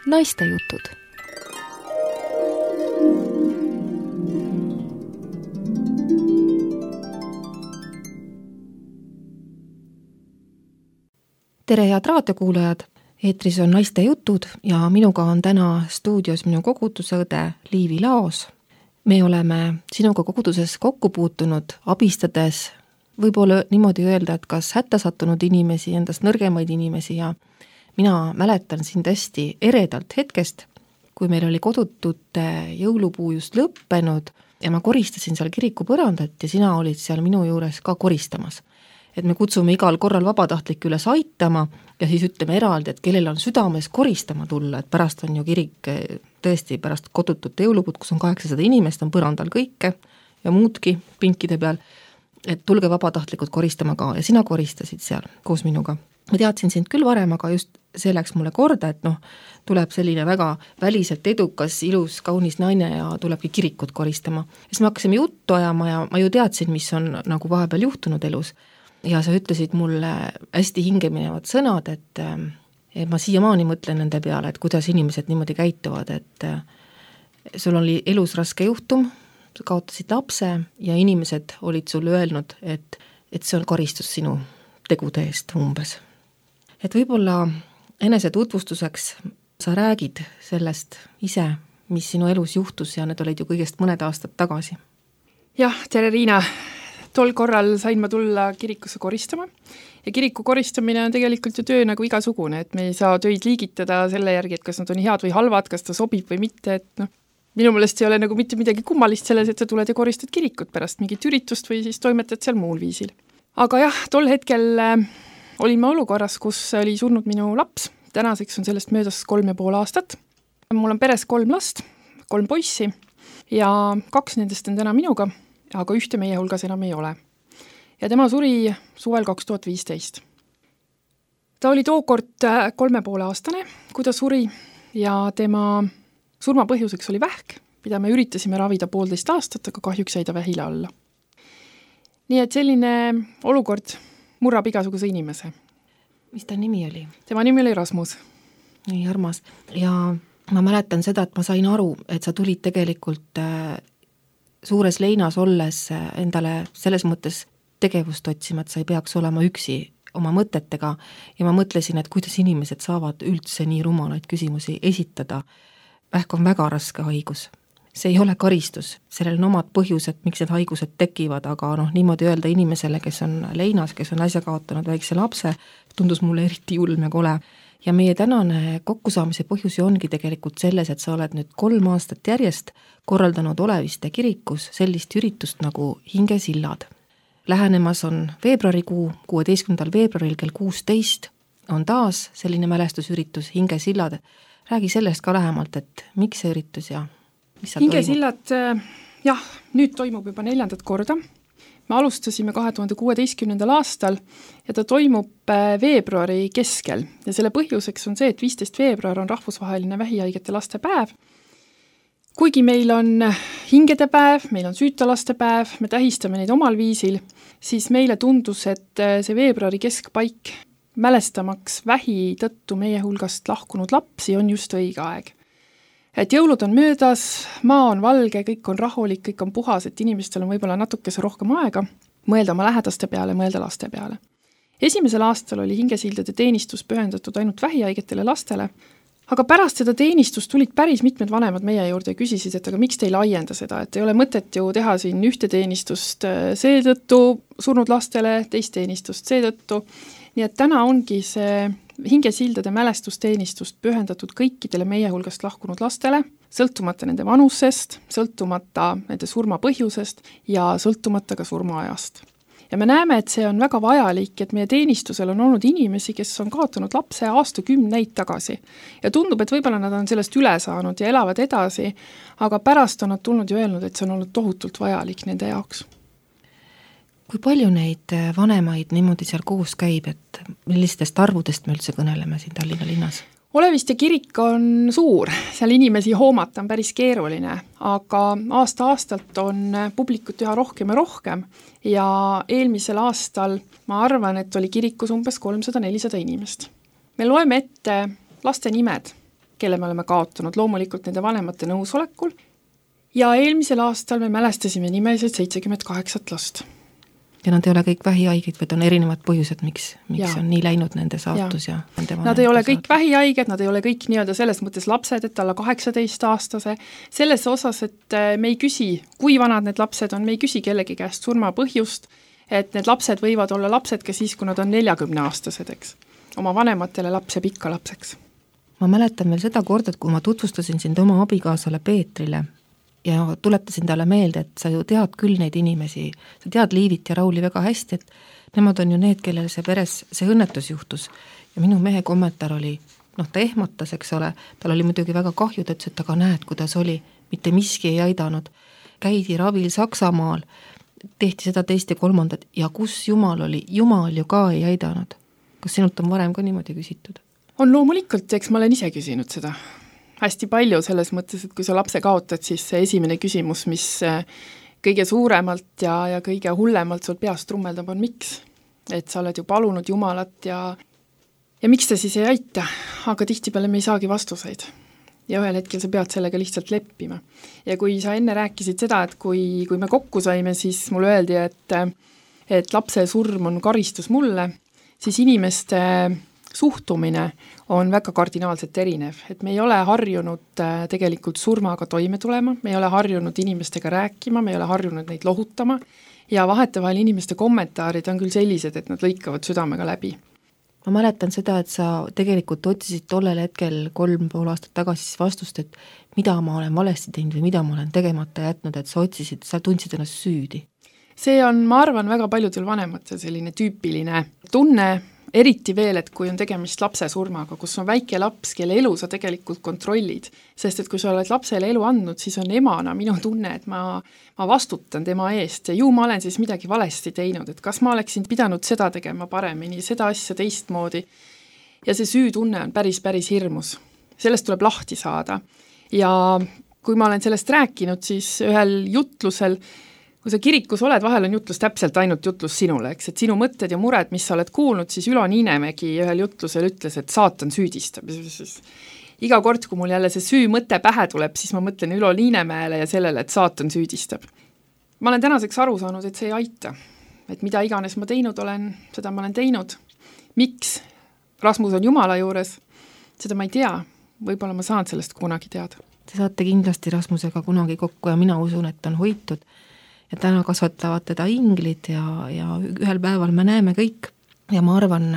Naistejutud. Tere, head raadiokuulajad! Eetris on Naistejutud ja minuga on täna stuudios minu koguduse õde Liivi Laos. Me oleme sinuga koguduses kokku puutunud, abistades, võib-olla niimoodi öelda, et kas hätta sattunud inimesi, endast nõrgemaid inimesi ja mina mäletan sind hästi eredalt hetkest, kui meil oli kodutute jõulupuu just lõppenud ja ma koristasin seal kiriku põrandat ja sina olid seal minu juures ka koristamas. Et me kutsume igal korral vabatahtlik üles aitama ja siis ütleme eraldi, et kellel on südames koristama tulla, et pärast on ju kirik tõesti pärast kodutute jõulupuud, kus on 800 inimest, on põrandal kõike ja muudki pinkide peal, et tulge vabatahtlikud koristama ka ja sina koristasid seal koos minuga. Ma teadsin sind küll varem, aga just see läks mulle korda, et tuleb selline väga väliselt edukas, ilus, kaunis naine ja tulebki kirikut koristama. Siis me hakkasime juttu ajama ja ma ju teadsin, mis on nagu vahepeal juhtunud elus. Ja sa ütlesid mulle hästi hingeminevad sõnad, et ma siiamaani mõtlen nende peale, et kuidas inimesed niimoodi käituvad, et sul oli elus raske juhtum, sa kaotasid lapse ja inimesed olid sulle öelnud, et see on karistus sinu tegude eest umbes. Et võib-olla enese tutvustuseks sa räägid sellest ise, mis sinu elus juhtus ja need olid ju kõigest mõned aastad tagasi. Jah, tere Riina! Tol korral sain ma tulla kirikusse koristama ja kiriku koristamine on tegelikult ju töö nagu igasugune, et me ei saa töid liigitada selle järgi, et kas nad on head või halvad, kas ta sobib või mitte, et minu meelest ei ole nagu mitte midagi kummalist selles, et sa tuled ja koristad kirikut pärast mingit üritust või siis toimetad seal muul viisil. Aga jah, tol hetkel olin ma olukorras, kus oli surnud minu laps, tänaseks on sellest möödas 3,5 aastat. Mul on peres 3 last, 3 poissi ja 2 nendest on täna minuga, aga ühte meie hulgas enam ei ole. Ja tema suri suvel 2015. Ta oli tookord 3,5 aastane, kui ta suri ja tema surma põhjuseks oli vähk, mida me üritasime ravida 1,5 aastat, aga kahjuks jäi ta vähile alla. Nii et selline olukord murrab igasuguse inimese. Mis ta nimi oli? Tema nimi oli Rasmus. Nii armas. Ja ma mäletan seda, et ma sain aru, et sa tulid tegelikult suures leinas olles endale selles mõttes tegevust otsima, et sa ei peaks olema üksi oma mõtetega ja ma mõtlesin, et kuidas inimesed saavad üldse nii rumalaid küsimusi esitada. Vähk on väga raske haigus. See ei ole karistus, sellel on omad põhjused, miks need haigused tekivad, aga niimoodi öelda inimesele, kes on leinas, kes on äsja kaotanud väikse lapse, tundus mulle eriti julm ja kole. Ja meie tänane kokkusaamise põhjus ongi tegelikult selles, et sa oled nüüd 3 aastat järjest korraldanud Oleviste kirikus sellist üritust nagu Hingesillad. Lähenemas on veebruarikuu, 16. veebruaril kell 16 on taas selline mälestusüritus Hingesillad. Räägi sellest ka lähemalt, et miks see üritus ja mis seal Hingesillad, jah, nüüd toimub juba 4. korda. Me alustasime 2016. aastal ja ta toimub veebruari keskel ja selle põhjuseks on see, et 15. veebruar on rahvusvaheline vähihaigete laste päev. Kuigi meil on hingede päev, meil on süüta laste päev, me tähistame neid omal viisil, siis meile tundus, et see veebruari keskpaik mälestamaks vähi tõttu meie hulgast lahkunud lapsi on just õige aeg. Et jõulud on möödas, maa on valge, kõik on rahulik, kõik on puhas, et inimestel on võib-olla natukese rohkem aega mõelda oma lähedaste peale, mõelda laste peale. Esimesel aastal oli Hingesildade teenistus pühendatud ainult vähihaigetele lastele, aga pärast seda teenistust tulid päris mitmed vanemad meie juurde ja küsisid, et aga miks te ei laienda seda, et ei ole mõtet ju teha siin ühte teenistust seetõttu surnud lastele, teist teenistust seetõttu. Nii et täna ongi see Hingesildade mälestusteenistust pühendatud kõikidele meie hulgast lahkunud lastele, sõltumata nende vanusest, sõltumata nende surma põhjusest ja sõltumata ka surmaajast. Ja me näeme, et see on väga vajalik, et meie teenistusel on olnud inimesi, kes on kaotanud lapse aastakümneid tagasi. Ja tundub, et võib-olla nad on sellest üle saanud ja elavad edasi, aga pärast on nad tulnud ja öelnud, et see on olnud tohutult vajalik nende jaoks. Kui palju neid vanemaid niimoodi seal koos käib, et millistest arvudest me üldse kõneleme siin Tallinna linnas? Oleviste kirik on suur, seal inimesi hoomata on päris keeruline, aga aasta-aastalt on publikut üha rohkem ja rohkem ja eelmisel aastal ma arvan, et oli kirikus umbes 300-400 inimest. Me loeme ette laste nimed kelle me oleme kaotanud, loomulikult nende vanemate nõusolekul. Ja eelmisel aastal me mälestasime nimeliselt 78 last. Ja nad ei ole kõik vähihaigid, vaid on erinevad põhjused, miks on nii läinud nende saatus ja nende nad ei ole kõik vähihaiged, nad ei ole kõik nii-öelda selles mõttes lapsed, et alla 18-aastase. Selles osas, et me ei küsi, kui vanad need lapsed on, me ei küsi kellegi käest surma põhjust, et need lapsed võivad olla lapsed ka siis, kui nad on 40-aastased, eks. Oma vanematele laps ja pikka lapseks. Ma mäletan veel seda korda, et kui ma tutvustasin sind oma abikaasale Peetrile ja tuletasin talle meelde, et sa ju tead küll neid inimesi, sa tead Liivit ja Rauli väga hästi, et nemad on ju need, kellel see peres see õnnetus juhtus. Ja minu mehe kommentaar oli, ta ehmatas, eks ole, tal oli muidugi väga kahju, ta ütles, et aga näed, kuidas oli, mitte miski ei aidanud. Käidi ravil Saksamaal, tehti seda teist ja kolmandat ja kus Jumal oli, Jumal ju ka ei aidanud. Kas sinult on varem ka niimoodi küsitud? On loomulikult, eks ma olen ise küsinud seda. Hästi palju selles mõttes, et kui sa lapse kaotad, siis see esimene küsimus, mis kõige suuremalt ja kõige hullemalt sul peast trummeldab, on miks. Et sa oled ju palunud Jumalat ja miks ta siis ei aita, aga tihtipeale me ei saagi vastuseid. Ja ühel hetkel sa pead sellega lihtsalt leppima. Ja kui sa enne rääkisid seda, et kui me kokku saime, siis mulle öeldi, et lapse surm on karistus mulle, siis inimeste suhtumine on väga kardinaalselt erinev, et me ei ole harjunud tegelikult surmaga toime tulema, me ei ole harjunud inimestega rääkima, me ei ole harjunud neid lohutama ja vahetevahel inimeste kommentaarid on küll sellised, et nad lõikavad südamega läbi. Ma mäletan seda, et sa tegelikult otsisid tollel hetkel 3,5 aastat tagasi vastust, et mida ma olen valesti teinud või mida ma olen tegemata jätnud, et sa tundsid ennast süüdi. See on, ma arvan, väga paljudel vanematel selline tüüpiline tunne, eriti veel, et kui on tegemist lapse surmaga, kus on väike laps, kelle elu sa tegelikult kontrollid, sest et kui sa oled lapsele elu andnud, siis on emana minu tunne, et ma vastutan tema eest ja ju ma olen siis midagi valesti teinud, et kas ma oleksin pidanud seda tegema paremini, seda asja teistmoodi ja see süütunne on päris hirmus. Sellest tuleb lahti saada ja kui ma olen sellest rääkinud, siis ühel jutlusel kui sa kirikus oled, vahel on jutlus täpselt ainult jutlus sinule, eks, et sinu mõtted ja mured, mis sa oled kuulnud, siis Ülo Niinemägi ühel jutlusel ütles, et saatan süüdistab. Iga kord, kui mul jälle see süü mõte pähe tuleb, siis ma mõtlen Ülo Niinemäele ja sellele, et saatan süüdistab. Ma olen tänaseks aru saanud, et see ei aita. Et mida iganes ma teinud olen, seda ma olen teinud. Miks Rasmus on Jumala juures, seda ma ei tea. Võib-olla ma saan sellest kunagi teada. Te saate kindlasti Rasmusega kunagi kokku ja mina usun, et on hoitud. Ja täna kasvatavad teda inglid ja ühel päeval me näeme kõik. Ja ma arvan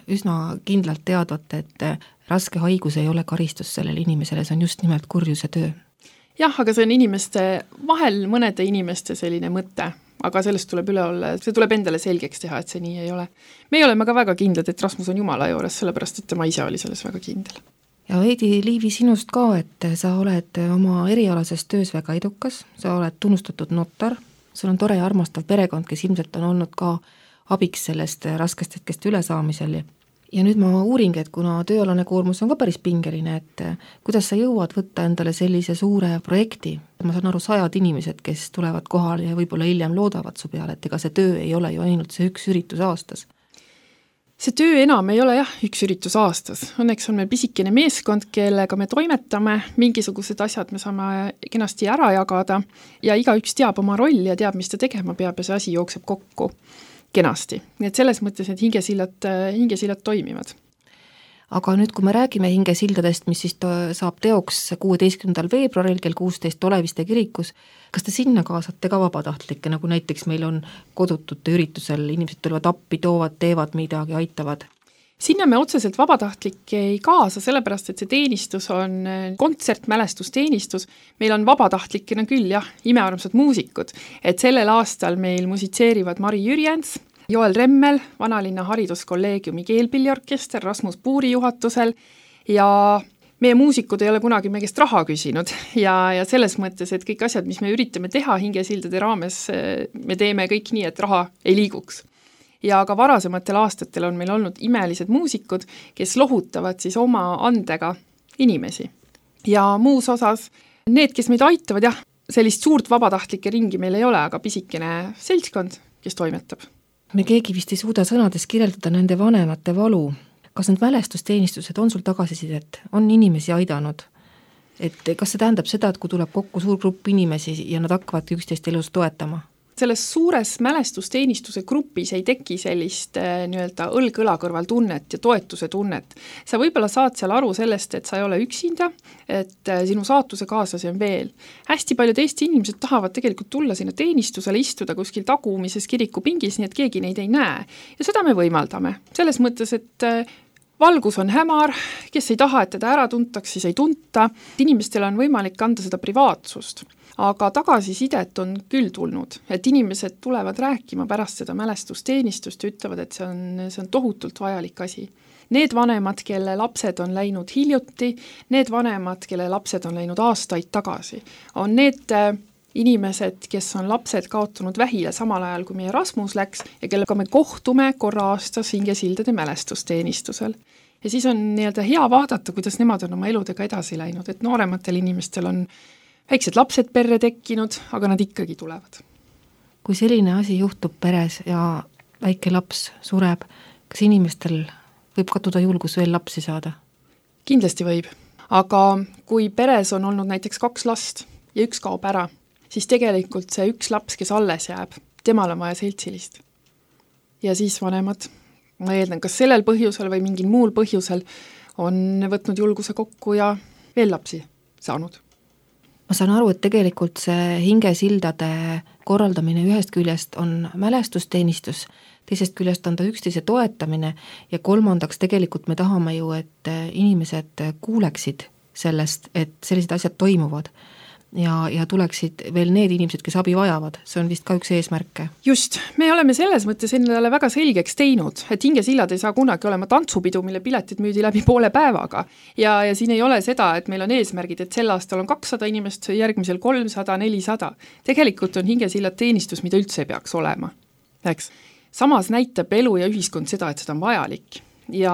üsna kindlalt teadvat, et raske haigus ei ole karistus sellele inimesele, see on just nimelt kurjuse töö. Jah, aga see on inimeste, vahel mõnede inimeste selline mõte, aga sellest tuleb üle olla, see tuleb endale selgeks teha, et see nii ei ole. Me oleme ka väga kindlad, et Rasmus on Jumala juures, sellepärast, et tema ise oli selles väga kindel. Ja veidi Liivi sinust ka, et sa oled oma erialases töös väga edukas, sa oled tunnustatud notar, sul on tore ja armastav perekond, kes ilmselt on olnud ka abiks sellest raskest hetkest ülesaamisel. Ja nüüd ma uuringi, et kuna tööalane koormus on ka päris pingeline, et kuidas sa jõuad võtta endale sellise suure projekti? Ma saan aru 100 inimesed, kes tulevad kohale ja võib-olla hiljem loodavad su peale, et ega see töö ei ole ju ainult see üks üritus aastas. See töö enam ei ole üks üritus aastas. Õnneks on meil pisikene meeskond, kellega me toimetame, mingisugused asjad me saame kenasti ära jagada ja igaüks teab oma rolli ja teab, mis ta tegema peab ja see asi jookseb kokku kenasti. Nii et selles mõttes, et hingesillad toimivad. Aga nüüd, kui me räägime hingesildadest, mis siis saab teoks 16. veebruaril kell 16 Oleviste kirikus, kas te sinna kaasate ka vabatahtlikke, nagu näiteks meil on kodutute üritusel, inimesed tulevad appi, toovad, teevad midagi, aitavad? Sinna me otseselt vabatahtlikke ei kaasa, sellepärast, et see teenistus on kontsertmälestusteenistus. Meil on vabatahtlikena küll, imearmsad muusikud, et sellel aastal meil musitseerivad Mari Jürjens, Joel Remmel, Vanalinna hariduskolleegiumi keelpilliorkester Rasmus Puuri juhatusel ja meie muusikud ei ole kunagi meie käest raha küsinud ja selles mõttes, et kõik asjad, mis me üritame teha hingesildade raames, me teeme kõik nii, et raha ei liiguks. Ja ka varasematel aastatel on meil olnud imelised muusikud, kes lohutavad siis oma andega inimesi. Ja muus osas need, kes meid aitavad, sellist suurt vabatahtlike ringi meil ei ole, aga pisikene seltskond, kes toimetab. Me keegi vist ei suuda sõnades kirjeldada nende vanemate valu. kas need mälestusteenistused on sul tagasisidet, on inimesi aidanud? Et kas see tähendab seda, et kui tuleb kokku suur grupp inimesi ja nad hakkavad üksteist elus toetama? Selles suures mälestusteenistuse grupis ei teki sellist nii-öelda õlg-õla kõrval tunnet ja toetuse tunnet. Sa võib-olla saad seal aru sellest, et sa ei ole üksinda, et sinu saatuse kaaslasi on veel. Hästi paljud Eesti inimesed tahavad tegelikult tulla sinna teenistusele, istuda kuskil tagumises kirikupingis, nii et keegi neid ei näe. Ja seda me võimaldame. Selles mõttes, et valgus on hämar, kes ei taha, et teda ära tuntaks, siis ei tunta. Inimestel on võimalik anda seda privaatsust. Aga tagasisidet on küll tulnud, et inimesed tulevad rääkima pärast seda mälestusteenistust ja ütlevad, et see on tohutult vajalik asi. Need vanemad, kelle lapsed on läinud hiljuti, need vanemad, kelle lapsed on läinud aastaid tagasi, on need inimesed, kes on lapsed kaotanud vähile samal ajal, kui meie Rasmus läks ja kellega me kohtume korra aastas Hingesildade mälestusteenistusel. Ja siis on nii-öelda hea vaadata, kuidas nemad on oma eludega edasi läinud, et noorematel inimestel on väiksed lapsed perre tekkinud, aga nad ikkagi tulevad. Kui selline asi juhtub peres ja väike laps sureb, kas inimestel võib kaduda julgus veel lapsi saada? Kindlasti võib, aga kui peres on olnud näiteks 2 last ja üks kaob ära, siis tegelikult see üks laps, kes alles jääb, temal on vaja seltsilist. Ja siis vanemad, ma eeldan, kas sellel põhjusel või mingil muul põhjusel on võtnud julguse kokku ja veel lapsi saanud. Ma saan aru, et tegelikult see Hingesildade korraldamine ühest küljest on mälestusteenistus, teisest küljest on ta üksteise toetamine ja kolmandaks tegelikult me tahame ju, et inimesed kuuleksid sellest, et sellised asjad toimuvad ja tuleksid veel need inimesed, kes abi vajavad. See on vist ka üks eesmärke. Just, me oleme selles mõttes endale väga selgeks teinud, et Hingesillad ei saa kunagi olema tantsupidu, mille piletid müüdi läbi poole päevaga. Ja siin ei ole seda, et meil on eesmärgid, et sel aastal on 200 inimest, järgmisel 300, 400. Tegelikult on Hingesillad teenistus, mida üldse ei peaks olema. Eks? Samas näitab elu ja ühiskond seda, et seda on vajalik. Ja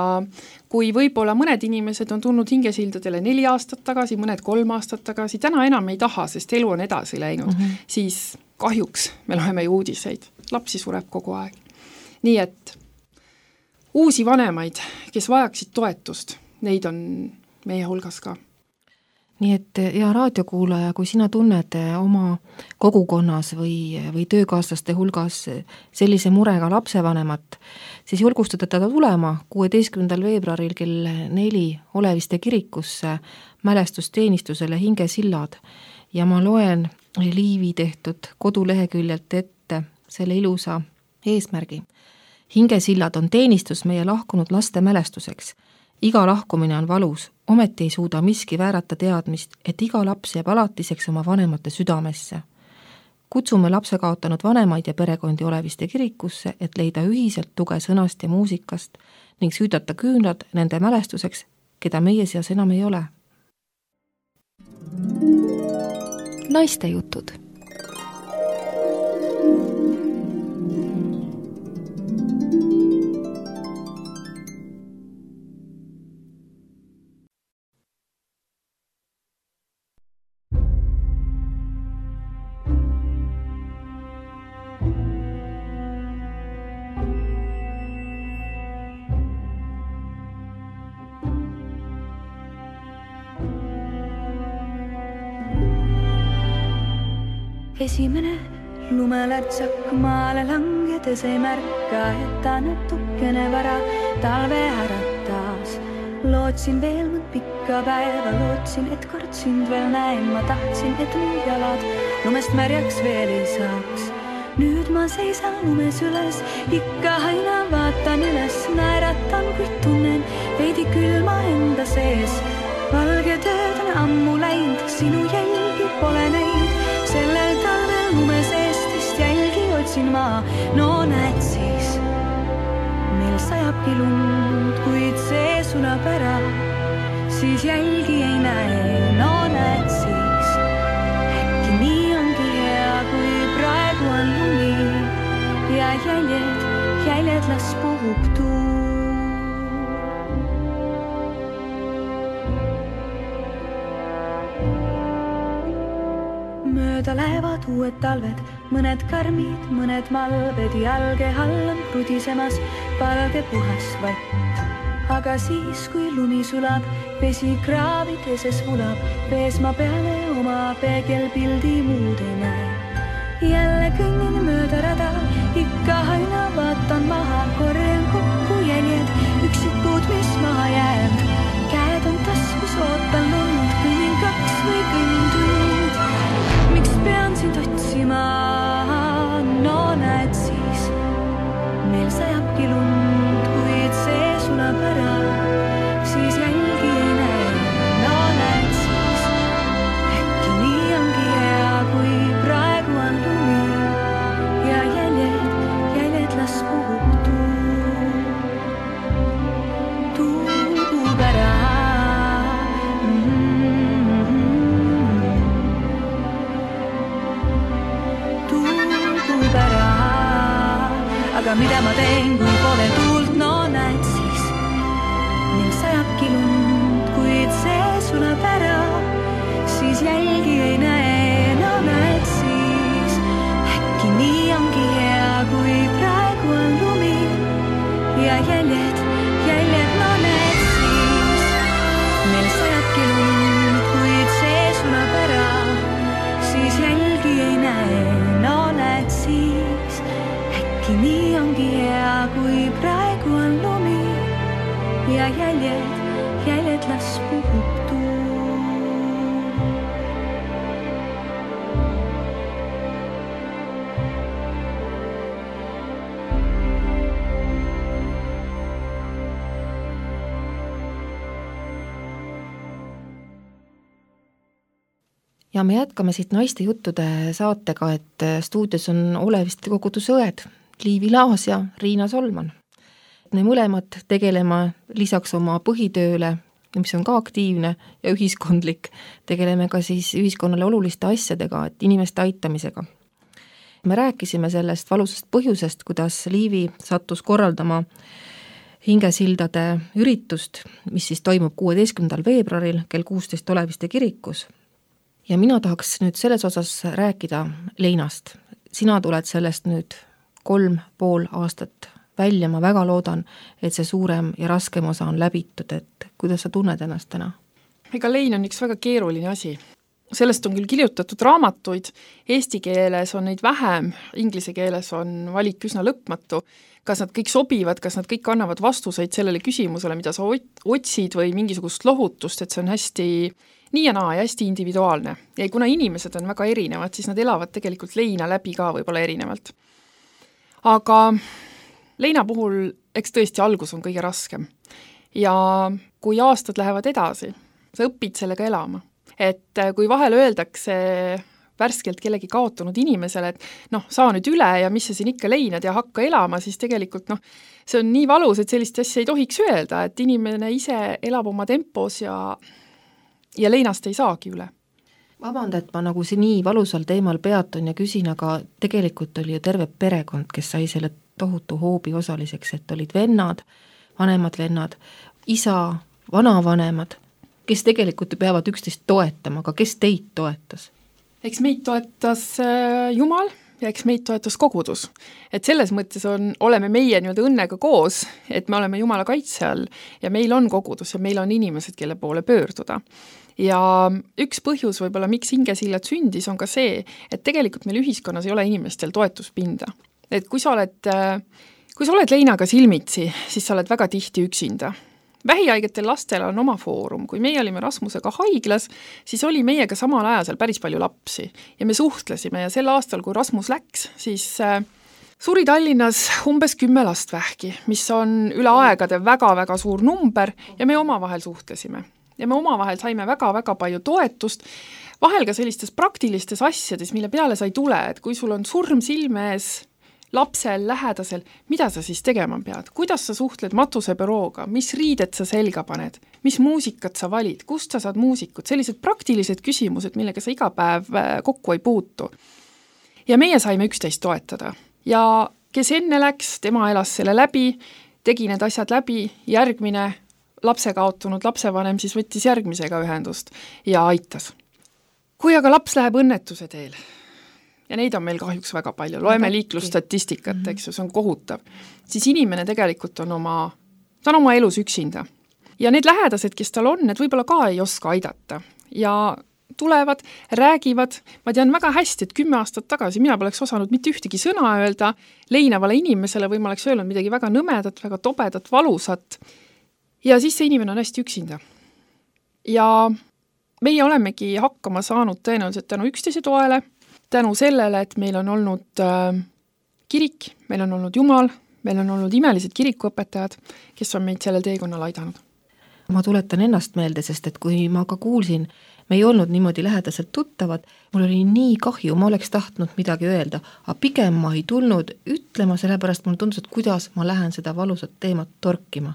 kui võib-olla mõned inimesed on tulnud Hingesildadele 4 aastat tagasi, mõned 3 aastat tagasi, täna enam ei taha, sest elu on edasi läinud, siis kahjuks me loeme ju uudiseid. Lapsi sureb kogu aeg. Nii et uusi vanemaid, kes vajaksid toetust, neid on meie hulgas ka. Nii et hea raadiokuulaja, kui sina tunned oma kogukonnas või töökaaslaste hulgas sellise murega lapsevanemat, siis julgustada teda tulema 16. veebruaril kell 4 Oleviste kirikusse mälestusteenistusele Hingesillad ja ma loen Liivi tehtud koduleheküljelt ette selle ilusa eesmärgi. Hingesillad on teenistus meie lahkunud laste mälestuseks. Iga lahkumine on valus, ometi ei suuda miski väärata teadmist, et iga laps jääb alatiseks oma vanemate südamesse. Kutsume lapse kaotanud vanemaid ja perekondi Oleviste kirikusse, et leida ühiselt tuge sõnast ja muusikast ning süüdata küünlad nende mälestuseks, keda meie seas enam ei ole. Naiste jutud. Esimene lumelärtsak maale langedes ei märka, et ta natukene vara talve äratas. Lootsin veel mõnd pikka päeva, lootsin, et kord sind veel näen. Ma tahtsin, et mu jalad lumest märjaks veel ei saaks. Nüüd ma seisan lumes üles, ikka aina vaatan üles. Naeratan, kuid tunnen veidi külma enda sees. Valge tööd on ammu läinud, sinu jälgi pole neid. Sellel talvel lumes Eestist jälgi otsin ma. No näed siis, meil sajabki lund, kuid see sulab ära. Siis jälgi ei näe, no näed siis. Äkki nii ongi hea, kui praegu on lumi. Ja jäljed las puhub tuu. Mööda lähevad uued talved, mõned karmid, mõned malved. Jalge all on krudisemas valge puhas vatt. aga siis, kui lumi sulab, vesi kraavideses vulab, vees ma peale oma peegelpildi muud ei näe. Jälle kõnnin mööda rada, ikka aina vaatan maha, korjan kokku jäljed, üksikud, mis maha jääb. Käed on taskus, ootan lund, kõnnin 2 või kõnnin tund. Miks pean sind otsima? No näed siis, meil sajabki lund, kuid see sulab ära, siis jälgi ei näe. No näed siis, äkki nii ongi hea, kui praegu on lumi ja jäljed las puhub tuub ära. Tuub ära, aga mida ma teen, kui pole tuult, no näed siis, meil sajabki lund, kuid see sulab ära, siis jälgi ei näe. No näed siis, äkki nii ongi hea, kui praegu on lumi ja jäljed, no näed siis, meil sajabki lund, kuid see sulab ära, siis jälgi ei näe. No näed siis, äkki nii ongi hea, kui praegu on lumi ja jäljed las puhub tuul. Ja me jätkame siit naiste juttude saatega, et stuudios on Oleviste koguduse õed Liivi Laas ja Riina Solman. Me mõlemad tegeleme lisaks oma põhitööle, mis on ka aktiivne ja ühiskondlik, tegeleme ka siis ühiskonnale oluliste asjadega, et inimeste aitamisega. Me rääkisime sellest valusast põhjusest, kuidas Liivi sattus korraldama hingesildade üritust, mis siis toimub 16. veebruaril kell 16 Oleviste kirikus. Ja mina tahaks nüüd selles osas rääkida Leinast. Sina tuled sellest nüüd 3,5 aastat välja, ma väga loodan, et see suurem ja raskem osa on läbitud, et kuidas sa tunned ennast täna? Ega Lein on üks väga keeruline asi. Sellest on küll kirjutatud raamatuid, eesti keeles on neid vähem, inglise keeles on valik üsna lõpmatu. Kas nad kõik sobivad, kas nad kõik annavad vastuseid sellele küsimusele, mida sa otsid või mingisugust lohutust, et see on hästi nii ja naa ja hästi individuaalne. Ja kuna inimesed on väga erinevad, siis nad elavad tegelikult Leina läbi ka võib-olla erinevalt. Aga Leina puhul eks tõesti algus on kõige raskem. Ja kui aastad lähevad edasi, sa õpid sellega elama. Et kui vahel öeldakse värskelt kellegi kaotunud inimesele, et saa nüüd üle ja mis sa siin ikka leinad ja hakka elama, siis tegelikult see on nii valus, et sellist asja ei tohiks öelda, et inimene ise elab oma tempos ja Leinast ei saagi üle. Vabanda, et ma nagu see nii valusal teemal peatun ja küsin, aga tegelikult oli ju terve perekond, kes sai selle tohutu hoobi osaliseks, et olid vennad, vanemad vennad, isa, vanavanemad, kes tegelikult peavad üksteist toetama, aga kes teid toetas? Eks meid toetas Jumal ja eks meid toetas kogudus. Et selles mõttes oleme meie nii-öelda õnnega koos, et me oleme Jumala kaitse all ja meil on kogudus ja meil on inimesed, kelle poole pöörduda. Ja üks põhjus võib-olla, miks hingesillad sündis, on ka see, et tegelikult meil ühiskonnas ei ole inimestel toetuspinda. Et kui sa oled Leinaga silmitsi, siis sa oled väga tihti üksinda. Vähihaigetel lastel on oma foorum. Kui meie olime Rasmusega haiglas, siis oli meiega samal ajal päris palju lapsi ja me suhtlesime ja sel aastal, kui Rasmus läks, siis suri Tallinnas umbes 10 last vähki, mis on üle aegade väga-väga suur number ja me omavahel suhtlesime. Ja me omavahel saime väga-väga palju toetust, vahel ka sellistes praktilistes asjades, mille peale sa ei tule, et kui sul on surm silme ees, lapsel, lähedasel, mida sa siis tegema pead? Kuidas sa suhtled matusebürooga? Mis riided sa selga paned? Mis muusikat sa valid? Kust sa saad muusikut? Sellised praktilised küsimused, millega sa iga päev kokku ei puutu. Ja meie saime üksteist toetada. Ja kes enne läks, tema elas selle läbi, tegi need asjad läbi, järgmine lapse kaotunud lapsevanem siis võttis järgmisega ühendust ja aitas. Kui aga laps läheb õnnetuse teel, ja neid on meil kahjuks väga palju, loeme liiklusstatistikat, eks ju, see on kohutav, siis inimene tegelikult on oma ta on oma elus üksinda. Ja need lähedased, kes tal on, need võib-olla ka ei oska aidata. Ja tulevad, räägivad, ma tean väga hästi, et 10 aastat tagasi mina poleks osanud mitte ühtegi sõna öelda leinavale inimesele või ma oleks öelnud midagi väga nõmedat, väga tobedat, valusat. Ja siis see inimene on hästi üksinda. Ja meie olemegi hakkama saanud tõenäoliselt tänu üksteise toele, tänu sellele, et meil on olnud kirik, meil on olnud Jumal, meil on olnud imelised kirikuõpetajad, kes on meid sellel teekonnal aidanud. Ma tuletan ennast meelde, sest et kui ma ka kuulsin, me ei olnud niimoodi lähedaselt tuttavad, mul oli nii kahju, ma oleks tahtnud midagi öelda, aga pigem ma ei tulnud ütlema, sellepärast mul tundus, et kuidas ma lähen seda valusat teemat torkima.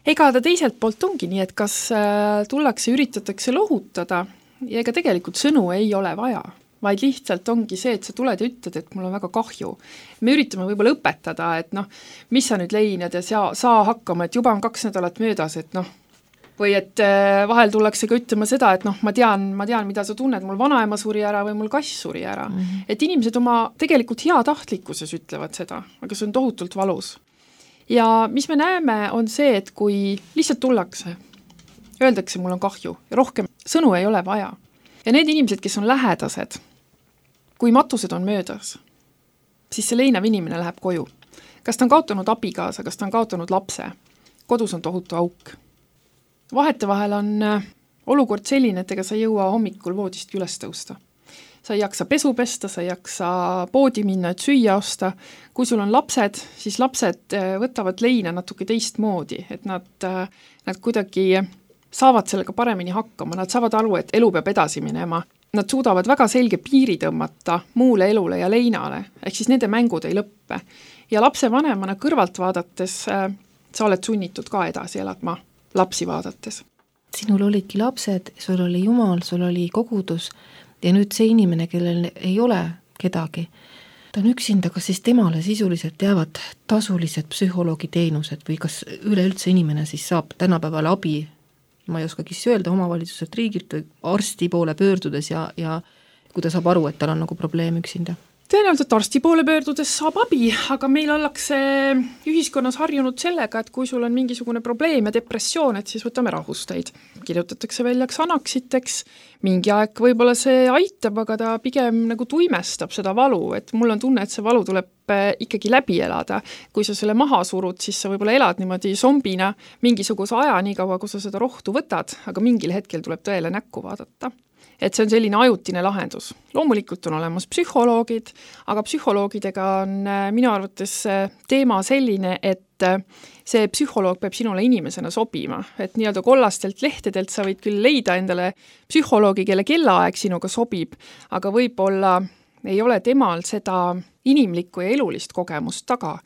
Ega ta teiselt poolt ongi nii, et kas tullakse, üritatakse lohutada ja ega tegelikult sõnu ei ole vaja, vaid lihtsalt ongi see, et sa tuled ja ütled, et mul on väga kahju. Me üritame võib-olla õpetada, et mis sa nüüd leinad ja saa hakkama, et juba on 2 nädalat möödas, et või et vahel tullakse ka ütlema seda, et ma tean, mida sa tunned, mul vanaema suri ära või mul kass suri ära. Et inimesed oma tegelikult heatahtlikkuses ütlevad seda, aga see on tohutult valus. Ja mis me näeme, on see, et kui lihtsalt tullakse, öeldakse, mul on kahju ja rohkem sõnu ei ole vaja. Ja need inimesed, kes on lähedased, kui matused on möödas, siis see leinav inimene läheb koju. Kas ta on kaotanud abikaasa, kas ta on kaotanud lapse? Kodus on tohutu auk. Vahetevahel on olukord selline, et ega sa jõua hommikul voodist üles tõusta. Sa ei jaksa pesu pesta, sa ei jaksa poodi minna, et süüa osta. Kui sul on lapsed, siis lapsed võtavad leina natuke teistmoodi, et nad kuidagi saavad sellega paremini hakkama, nad saavad aru, et elu peab edasi minema. Nad suudavad väga selge piiri tõmmata muule elule ja leinale, ehk siis nende mängud ei lõppe. Ja lapse vanemana kõrvalt vaadates sa oled sunnitud ka edasi elama lapsi vaadates. Sinul olidki lapsed, sul oli Jumal, sul oli kogudus ja nüüd see inimene, kellel ei ole kedagi, ta on üksinda, kas siis temale sisuliselt jäävad tasulised psühholoogiteenused või kas üleüldse inimene siis saab tänapäeval abi, ma ei oskagi öelda, omavalitsuselt riigilt või arsti poole pöördudes ja kui ta saab aru, et tal on nagu probleem üksinda? Tõenäoliselt arsti poole pöördudes saab abi, aga meil ollakse ühiskonnas harjunud sellega, et kui sul on mingisugune probleem ja depressioon, et siis võtame rahusteid. Kirjutatakse välja anaksiteks, mingi aeg võib-olla see aitab, aga ta pigem nagu tuimestab seda valu, et mul on tunne, et see valu tuleb ikkagi läbi elada. Kui sa selle maha surud, siis sa võib-olla elad niimoodi zombina mingisuguse aja nii kaua, kui sa seda rohtu võtad, aga mingil hetkel tuleb tõele näkku vaadata. Et see on selline ajutine lahendus. Loomulikult on olemas psühholoogid, aga psühholoogidega on minu arvates teema selline, et see psühholoog peab sinule inimesena sobima. Et nii-öelda kollastelt lehtedelt sa võid küll leida endale psühholoogi, kelle kellaaeg sinuga sobib, aga võib-olla ei ole temal seda inimlikku ja elulist kogemust taga.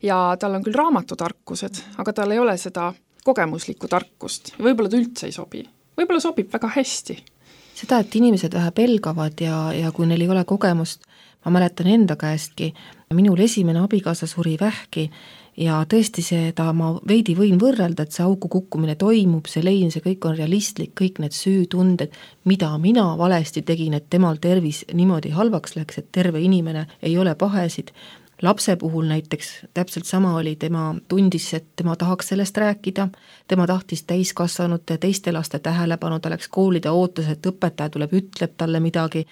Ja tal on küll raamatutarkused, aga tal ei ole seda kogemuslikku tarkust. Võib-olla ta üldse ei sobi. Võib-olla sobib väga hästi. Seda, et inimesed vähe pelgavad ja kui neil ei ole kogemust, ma mäletan enda käestki, minul esimene abikaasa suri vähki ja tõesti seda ma veidi võin võrrelda, et see auku kukkumine toimub, see lein, see kõik on realistlik, kõik need süütunded, mida mina valesti tegin, et temal tervis niimoodi halvaks läks, et terve inimene ei ole pahesid. Lapse puhul näiteks täpselt sama oli, tema tundis, et tema tahaks sellest rääkida, tema tahtis täiskasvanute teiste laste tähelepanu, ta läks kooli, ta ootas, et õpetaja tuleb, ütleb talle midagi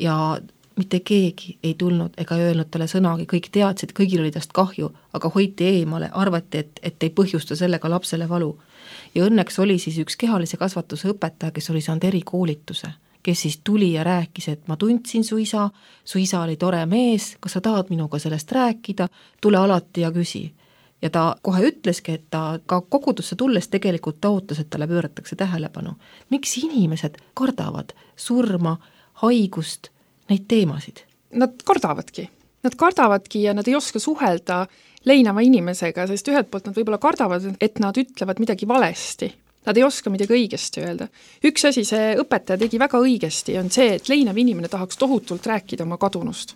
ja mitte keegi ei tulnud ega öelnud talle sõnagi, kõik teadsid, kõigil oli tast kahju, aga hoiti eemale, arvati, et ei põhjusta sellega lapsele valu. Ja õnneks oli siis üks kehalise kasvatuse õpetaja, kes oli saanud erikoolituse, kes siis tuli ja rääkis, et ma tundsin su isa oli tore mees, kas sa tahad minuga sellest rääkida, tule alati ja küsi. Ja ta kohe ütleski, et ta ka kogudusse tulles tegelikult ta ootas, et talle pööratakse tähelepanu. Miks inimesed kardavad surma, haigust, neid teemasid? Nad kardavadki ja nad ei oska suhelda leinava inimesega, sest ühelt poolt nad võib-olla kardavad, et nad ütlevad midagi valesti. Nad ei oska midagi õigesti öelda. Üks asi, see õpetaja tegi väga õigesti, on see, et leinav inimene tahaks tohutult rääkida oma kadunust.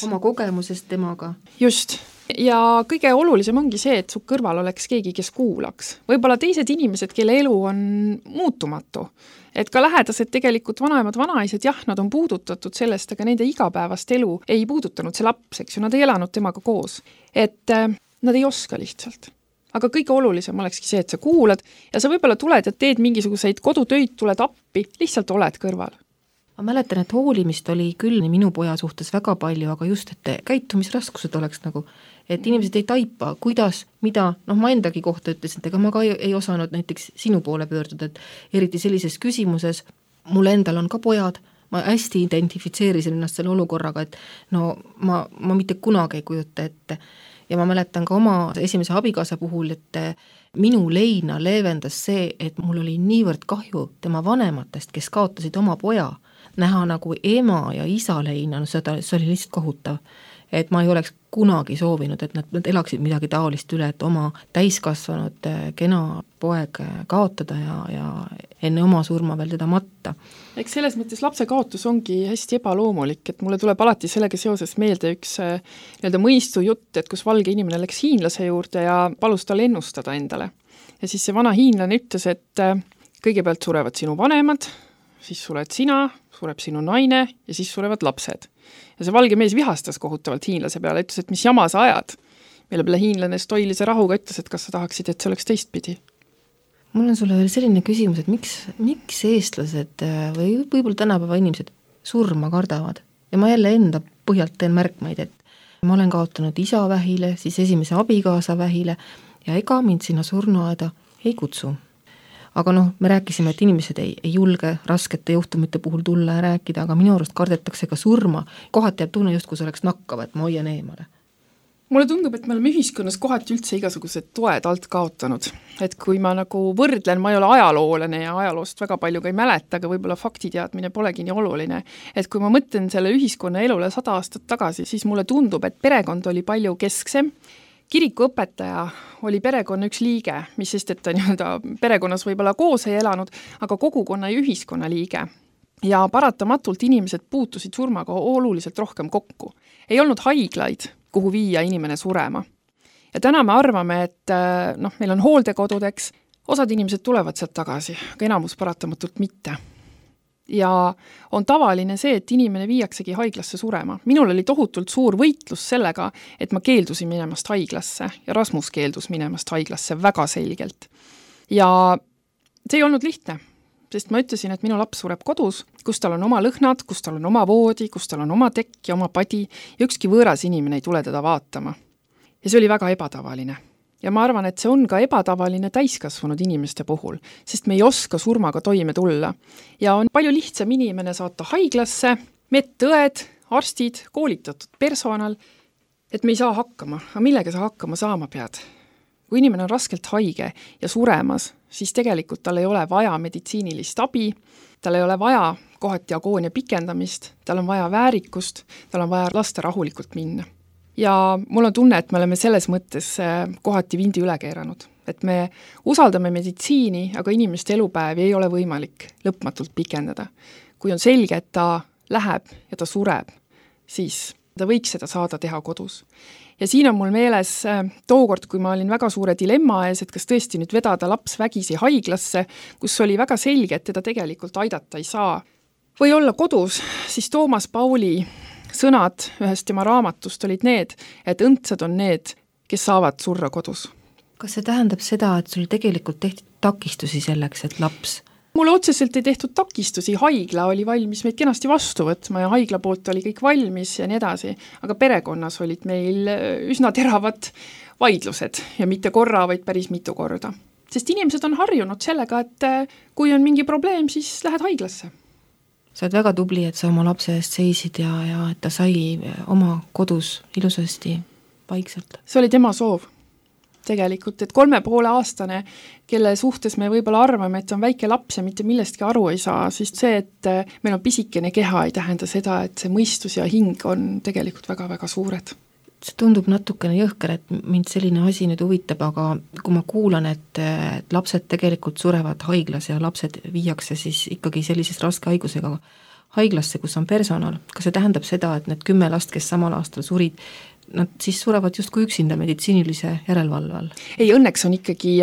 Oma kogemusest temaga. Just. Ja kõige olulisem ongi see, et su kõrval oleks keegi, kes kuulaks. Võib-olla teised inimesed, kelle elu on muutumatu. Et ka lähedased tegelikult vanaemad, vanaised, jah, nad on puudutatud sellest, aga nende igapäevast elu ei puudutanud see laps, eks ju, nad ei elanud temaga koos. Et nad ei oska lihtsalt. aga kõige olulisem olekski see, et sa kuulad ja sa võib-olla tuled ja teed mingisuguseid kodutöid, tuled appi, lihtsalt oled kõrval. Ma mäletan, et hoolimist oli küll minu poja suhtes väga palju, aga just, et käitumisraskused oleks nagu, et inimesed ei taipa, kuidas, mida, ma endagi kohta ütlesin, et ega ma ka ei osanud näiteks sinu poole pöörduda, et eriti sellises küsimuses, mul endal on ka pojad, ma hästi identifitseerisin ennast selle olukorraga, et ma mitte kunagi ei kujuta ette. Ja ma mäletan ka oma esimese abikaasa puhul, et minu leina leevendas see, et mul oli niivõrd kahju tema vanematest, kes kaotasid oma poja, näha nagu ema ja isa leina, see oli lihtsalt kohutav. Et ma ei oleks kunagi soovinud, et nad elaksid midagi taolist üle, et oma täiskasvanud kena poeg kaotada ja enne oma surma veel teda matta. Eks selles mõttes lapse kaotus ongi hästi ebaloomulik, et mulle tuleb alati sellega seoses meelde üks mõistu jutt, et kus valge inimene läks hiinlase juurde ja palus tal ennustada endale. Ja siis see vana hiinlane ütles, et kõigepealt surevad sinu vanemad, siis sured sina, sureb sinu naine ja siis surevad lapsed. Ja see valge mees vihastas kohutavalt hiinlase peale, ütles, et mis jama sa ajad. Meile peale hiinlane stoilise rahuga ütles, et kas sa tahaksid, et see oleks teistpidi. Mul on sulle veel selline küsimus, et miks eestlased või võib-olla tänapäeva inimesed surma kardavad? Ja ma jälle enda põhjalt teen märkmaid, et ma olen kaotanud isa vähile, siis esimese abikaasa vähile ja ega mind sinna surnuaeda ei kutsu. Aga me rääkisime, et inimesed ei julge raskete juhtumite puhul tulla ja rääkida, aga minu arust kardetakse ka surma. Kohati jääb tunne just, kui see oleks nakkav, et ma hoian eemale. Mulle tundub, et me oleme ühiskonnas kohati üldse igasugused toed alt kaotanud. Et kui ma nagu võrdlen, ma ei ole ajaloolane ja ajaloost väga palju ka ei mäleta, aga võib-olla faktiteadmine polegi nii oluline. Et kui ma mõtlen selle ühiskonna elule 100 aastat tagasi, siis mulle tundub, et perekond oli palju kesksem. Kirikuõpetaja oli perekonna üks liige, mis sest, et ta perekonnas võib-olla koos ei elanud, aga kogukonna ja ühiskonna liige. Ja paratamatult inimesed puutusid surmaga oluliselt rohkem kokku. Ei olnud haiglaid, kuhu viia inimene surema. Ja täna me arvame, et meil on hooldekodudeks, osad inimesed tulevad sealt tagasi, aga enamus paratamatult mitte. Ja on tavaline see, et inimene viiaksegi haiglasse surema. Minul oli tohutult suur võitlus sellega, et ma keeldusin minemast haiglasse ja Rasmus keeldus minemast haiglasse väga selgelt. Ja see ei olnud lihtne, sest ma ütlesin, et minu laps sureb kodus, kus tal on oma lõhnad, kus tal on oma voodi, kus tal on oma tekk ja oma padi ja ükski võõras inimene ei tule teda vaatama. Ja see oli väga ebatavaline. Ja ma arvan, et see on ka ebatavaline täiskasvanud inimeste puhul, sest me ei oska surmaga toime tulla. Ja on palju lihtsam inimene saata haiglasse, medõed, arstid, koolitatud personal, et me ei saa hakkama. Aga millega sa hakkama saama pead? Kui inimene on raskelt haige ja suremas, siis tegelikult tal ei ole vaja meditsiinilist abi, tal ei ole vaja kohati agoonia pikendamist, tal on vaja väärikust, tal on vaja lasta rahulikult minna. Ja mul on tunne, et me oleme selles mõttes kohati vindi üle keeranud. Et me usaldame meditsiini, aga inimeste elupäevi ei ole võimalik lõpmatult pikendada. Kui on selge, et ta läheb ja ta sureb, siis ta võiks seda saada teha kodus. Ja siin on mul meeles tookord, kui ma olin väga suure dilemma ees, et kas tõesti nüüd vedada laps vägisi haiglasse, kus oli väga selge, et teda tegelikult aidata ei saa. Või olla kodus, siis Toomas Pauli sõnad ühest tema raamatust olid need, et õndsad on need, kes saavad surra kodus. Kas see tähendab seda, et sul tegelikult tehti takistusi selleks, et laps? Mulle otseselt ei tehtud takistusi, haigla oli valmis meid kenasti vastu võtma ja haigla poolt oli kõik valmis ja nii edasi, aga perekonnas olid meil üsna teravad vaidlused ja mitte korra, vaid päris mitu korda. Sest inimesed on harjunud sellega, et kui on mingi probleem, siis lähed haiglasse. Sa oled väga tubli, et sa oma lapse eest seisid ja et ta sai oma kodus ilusasti vaikselt. See oli tema soov tegelikult, et 3,5-aastane, kelle suhtes me võib-olla arvame, et on väike laps ja mitte millestki aru ei saa, siis see, et meil on pisikene keha, ei tähenda seda, et see mõistus ja hing on tegelikult väga-väga suured. See tundub natukene jõhker, et mind selline asi nüüd huvitab, aga kui ma kuulan, et lapsed tegelikult surevad haiglas ja lapsed viiakse siis ikkagi sellises raske haigusega haiglasse, kus on personal, kas see tähendab seda, et need 10 last, kes samal aastal surid, nad siis surevad justkui üksinda meditsiinilise järelevalve all? Ei, õnneks on ikkagi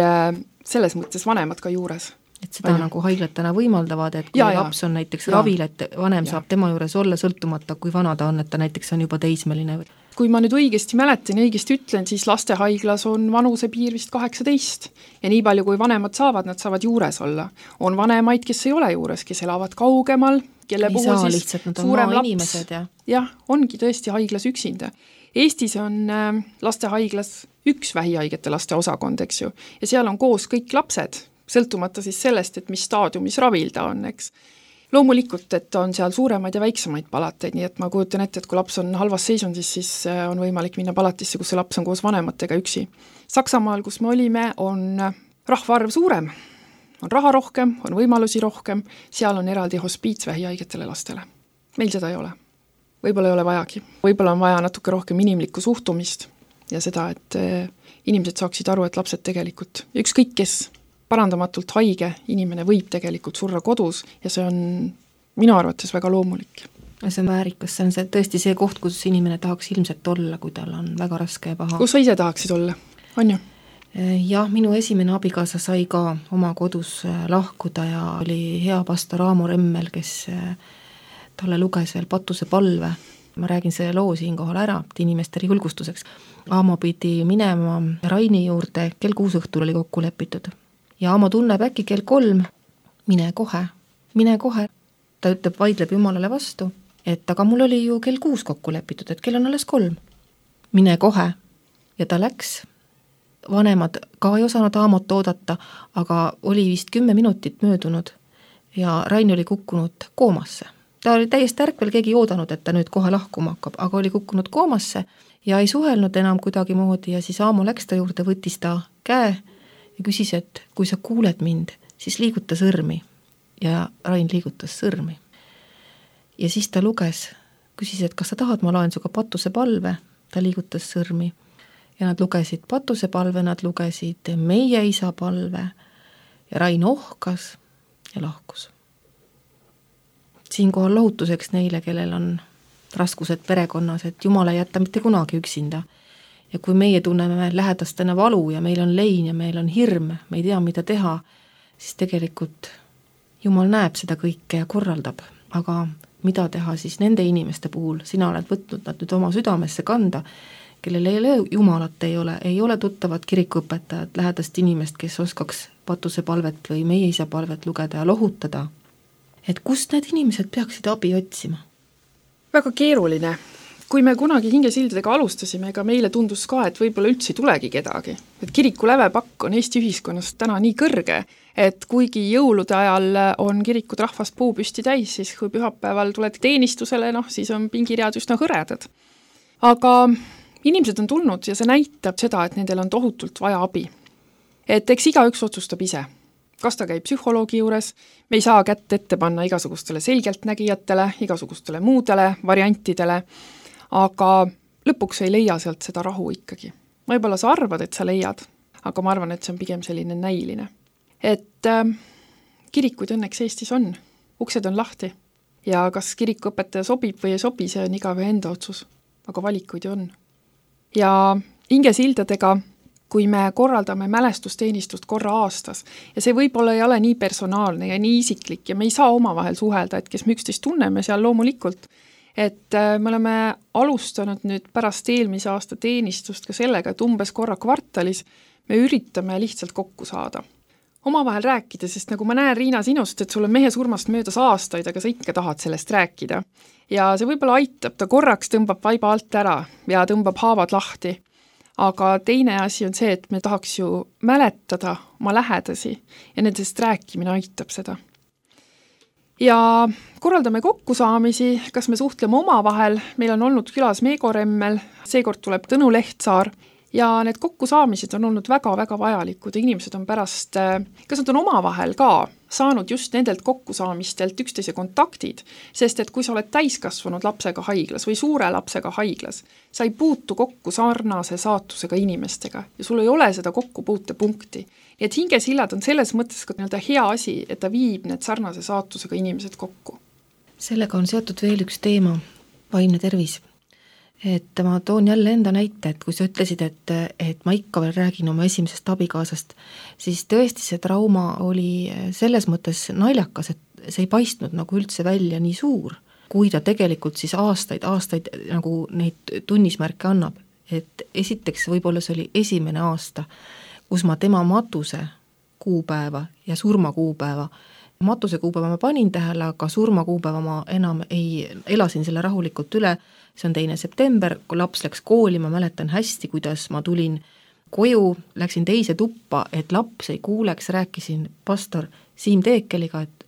selles mõttes vanemad ka juures. Et seda nagu haiglad täna võimaldavad, et kui laps on näiteks ravil, et vanem saab tema juures olla sõltumata, kui vana ta on, et ta näiteks on juba teismeline. kui ma nüüd õigesti mäletan, õigesti ütlen, siis lastehaiglas on vanusepiir vist 18 ja nii palju, kui vanemad saavad, nad saavad juures olla. On vanemaid, kes ei ole juures, kes elavad kaugemal, kelle puhul siis lihtsalt, suurem laps. Inimesed, jah, ongi tõesti haiglas üksinda. Eestis on lastehaiglas üks vähihaigete laste osakond, eks ju, ja seal on koos kõik lapsed, sõltumata siis sellest, et mis staadiumis ravil ta on, eks. Loomulikult, et on seal suuremaid ja väiksemaid palateid, nii et ma kujutan ette, et kui laps on halvas seisundis, siis on võimalik minna palatisse, kus see laps on koos vanematega üksi. Saksamaal, kus me olime, on rahvaarv suurem, on raha rohkem, on võimalusi rohkem, seal on eraldi hospiits vähihaigetele lastele. Meil seda ei ole. Võib-olla ei ole vajagi. Võib-olla on vaja natuke rohkem inimlikku suhtumist ja seda, et inimesed saaksid aru, et lapsed tegelikult, ükskõik kes, parandamatult haige inimene võib tegelikult surra kodus ja see on minu arvates väga loomulik. See on väärikas, see on tõesti see koht, kus inimene tahaks ilmselt olla, kui tal on väga raske ja paha. Kus sa ise tahaksid olla, on ju? Jah, minu esimene abikaasa sai ka oma kodus lahkuda ja oli hea pastor Aamo Remmel, kes talle luges veel Patuse palve. Ma räägin selle loo siinkohal ära, et inimestele julgustuseks. Aamo pidi minema Raini juurde, kell 6 õhtul oli kokku lepitud. Ja Aamo tunneb äkki kell 3, mine kohe. Ta ütleb, vaidleb Jumalale vastu, et aga mul oli ju kell 6 kokku lepitud, et kell on alles 3. Mine kohe. Ja ta läks. Vanemad ka ei osanud Aamot oodata, aga oli vist 10 minutit möödunud ja Rain oli kukkunud koomasse. Ta oli täiesti ärkvel, keegi ei oodanud, et ta nüüd kohe lahkuma hakkab, aga oli kukkunud koomasse ja ei suhelnud enam kuidagi moodi ja siis Aamo läks ta juurde, võttis ta käe ja küsis, et kui sa kuuled mind, siis liiguta sõrmi. Ja Rain liigutas sõrmi. Ja siis ta luges, küsis, et kas sa tahad, ma loen suga Patuse palve. Ta liigutas sõrmi. Ja nad lugesid Patuse palve, nad lugesid Meie isa palve. Ja Rain ohkas ja lahkus. Siinkohal lohutuseks neile, kellel on raskused perekonnas, et Jumal ei jätta mitte kunagi üksinda. Ja kui meie tunneme lähedastena valu ja meil on lein ja meil on hirm, me ei tea, mida teha, siis tegelikult Jumal näeb seda kõike ja korraldab. Aga mida teha siis nende inimeste puhul? Sina oled võtnud nad nüüd oma südamesse kanda, kellel ei ole Jumalat, ei ole tuttavat kirikuõpetajat, lähedast inimest, kes oskaks Patuse palvet või Meie isa palvet lugeda ja lohutada. Et kust need inimesed peaksid abi otsima? Väga keeruline. Kui me kunagi hingesildadega alustasime, ega meile tundus ka, et võib-olla üldse ei tulegi kedagi. Et kiriku lävepakk on Eesti ühiskonnas täna nii kõrge, et kuigi jõulude ajal on kirikud rahvast puupüsti täis, siis kui pühapäeval tuled teenistusele, siis on pingiread üsna hõredad. Aga inimesed on tulnud ja see näitab seda, et nendel on tohutult vaja abi. Et eks igaüks otsustab ise. Kas ta käib psühholoogi juures, me ei saa kätt ette panna igasugustele selgeltnägijatele, igasugustele muudele variantidele, aga lõpuks ei leia sealt seda rahu ikkagi. Võib-olla sa arvad, et sa leiad, aga ma arvan, et see on pigem selline näiline. Et kirikuid õnneks Eestis on, uksed on lahti ja kas kirikuõpetaja sobib või ei sobi, see on igaühe enda otsus, aga valikuid on. Ja hingesildadega, kui me korraldame mälestusteenistust korra aastas ja see võib-olla ei ole nii personaalne ja nii isiklik ja me ei saa omavahel suhelda, et kes me üksteist tunneme seal loomulikult, et me oleme alustanud nüüd pärast eelmise aasta teenistust ka sellega, et umbes korra kvartalis me üritame lihtsalt kokku saada. Omavahel rääkida, sest nagu ma näen, Riina, sinust, et sul on mehe surmast möödas aastaid, aga sa ikka tahad sellest rääkida. Ja see võib-olla aitab, ta korraks tõmbab vaiba alt ära ja tõmbab haavad lahti. Aga teine asi on see, et me tahaks ju mäletada oma lähedasi ja nendest rääkimine aitab seda. Ja korraldame kokkusaamisi, kas me suhtleme omavahel, meil on olnud külas Meego Remmel, seekord tuleb Tõnu Lehtsaar ja need kokkusaamised on olnud väga-väga vajalikud ja inimesed on pärast, kas nad on omavahel ka saanud just nendelt kokkusaamistelt üksteise kontaktid, sest et kui sa oled täiskasvanud lapsega haiglas või suure lapsega haiglas, sa ei puutu kokku sarnase saatusega inimestega ja sul ei ole seda kokkupuutepunkti. Nii et hingesillad on selles mõttes ka hea asi, et ta viib need sarnase saatusega inimesed kokku. Sellega on seotud veel üks teema, vaimne tervis. Et ma toon jälle enda näite, et kui sa ütlesid, et ma ikka veel räägin oma esimesest abikaasast, siis tõesti see trauma oli selles mõttes naljakas, et see ei paistnud nagu üldse välja nii suur. kui ta tegelikult siis aastaid nagu neid tunnismärke annab, et esiteks võib-olla see oli esimene aasta, kus ma tema matuse kuupäeva ja surmakuupäeva, matuse kuupäeva ma panin tähele, aga surmakuupäeva ma enam elasin selle rahulikult üle, see on 2. september, kui laps läks kooli, ma mäletan hästi, kuidas ma tulin koju, läksin teise tuppa, et laps ei kuuleks, rääkisin pastor Siim Teekeliga, et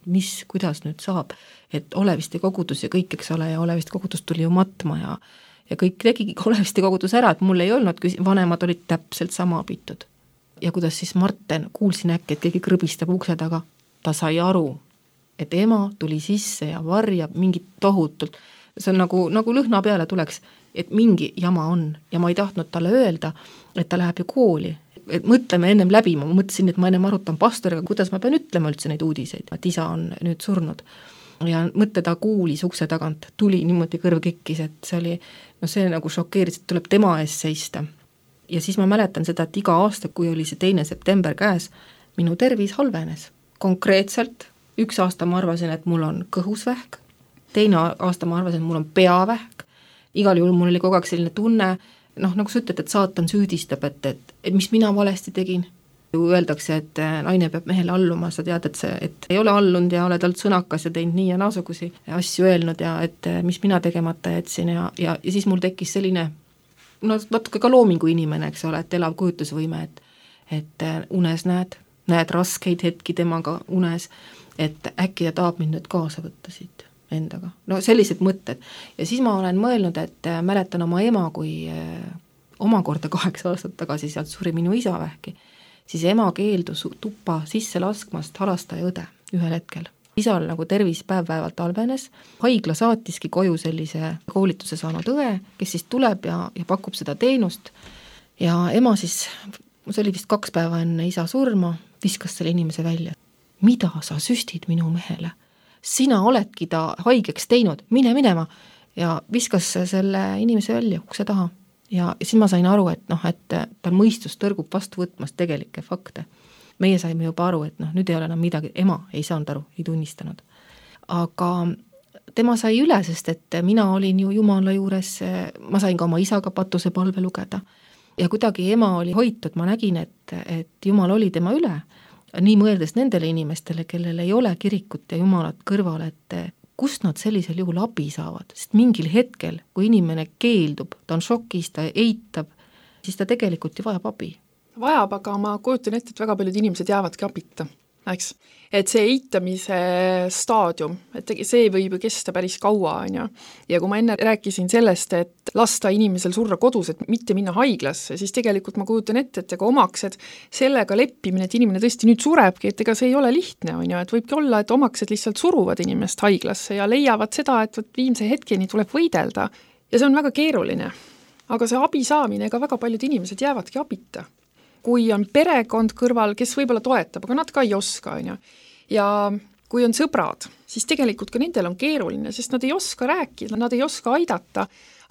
kuidas nüüd saab, et Oleviste kogudus ja kõik, eks ole, ja Oleviste kogudus tuli ju matma ja kõik tegigi Oleviste kogudus ära, et mul ei olnud, vanemad olid täpselt sama abitud. Ja kuidas siis Marten, kuulsin äkki, et keegi krõbistab ukse taga, ta sai aru, et ema tuli sisse ja varjab mingit tohutult, see on nagu lõhna peale tuleks, et mingi jama on ja ma ei tahtnud talle öelda, et ta läheb ju kooli, et mõtleme ennem läbi, ma mõtlesin, et ma ennem arutan pastoriga, kuidas ma pean ütlema üldse neid uudiseid, et isa on nüüd surnud ja mõtle ta kuulis ukse tagant, tuli niimoodi kõrv kikkis, et see oli, see nagu šokeeris, et tuleb tema ees seista. Ja siis ma mäletan seda, et iga aasta, kui oli see 2. september käes, minu tervis halvenes. Konkreetselt, üks aasta ma arvasin, et mul on kõhusvähk, teine aasta ma arvasin, et mul on peavähk, igal juhul mul oli kogu aeg selline tunne, nagu sa ütled, et saatan süüdistab, et mis mina valesti tegin. Öeldakse, et naine peab mehele alluma, sa tead, et ei ole allunud ja oled olnud sõnakas ja teinud nii ja naasugusi asju öelnud ja et mis mina tegemata jätsin ja siis mul tekkis selline natuke ka loomingu inimene, eks ole, et elav kujutusvõime, et unes näed raskeid hetki temaga unes, et äkki ta tahab mind nüüd kaasa võtta siit endaga. Sellised mõtted. Ja siis ma olen mõelnud, et mäletan oma ema, kui omakorda 8 aastat tagasi sealt suri minu isa vähki, siis ema keeldus tuppa sisse laskmast halastaja õde ühel hetkel. Isal nagu tervis päev-päevalt halvenes, haigla saatiski koju sellise koolituse saanud õe, kes siis tuleb ja pakub seda teenust ja ema siis, see oli vist 2 päeva enne isa surma, viskas selle inimese välja. Mida sa süstid minu mehele? Sina oledki ta haigeks teinud, mine minema ja viskas selle inimese välja ukse taha. Ja siis ma sain aru, et tal mõistus tõrgub vastu võtmast tegelikke fakte. Meie saime juba aru, et nüüd ei ole enam midagi, ema ei saanud aru, ei tunnistanud. Aga tema sai üle, sest et mina olin ju Jumala juures, ma sain ka oma isaga patuse palve lugeda ja kuidagi ema oli hoitud, ma nägin, et Jumal oli tema üle, nii mõeldes nendele inimestele, kellel ei ole kirikut ja Jumalat kõrval, et kust nad sellisel juhul abi saavad, sest mingil hetkel, kui inimene keeldub, ta on šokis, ta eitab, siis ta tegelikult ju vajab abi. Vajab, aga ma kujutan ette, et väga paljud inimesed jäävadki abita, eks? Et see eitamise staadium, et see võib ju kesta päris kaua, on ju. Ja kui ma enne rääkisin sellest, et lasta inimesel surra kodus, et mitte minna haiglasse, siis tegelikult ma kujutan ette, et ega omaksed sellega leppimine, et inimene tõesti nüüd surebki, et ega see ei ole lihtne, on ju, et võibki olla, et omaksed lihtsalt suruvad inimest haiglasse ja leiavad seda, et viimse hetkeni tuleb võidelda. Ja see on väga keeruline. Aga see abi saamine, ega väga paljud inimesed jäävadki abita. Kui on perekond kõrval, kes võib-olla toetab, aga nad ka ei oska, on ju. Ja kui on sõbrad, siis tegelikult ka nendel on keeruline, sest nad ei oska rääkida, nad ei oska aidata,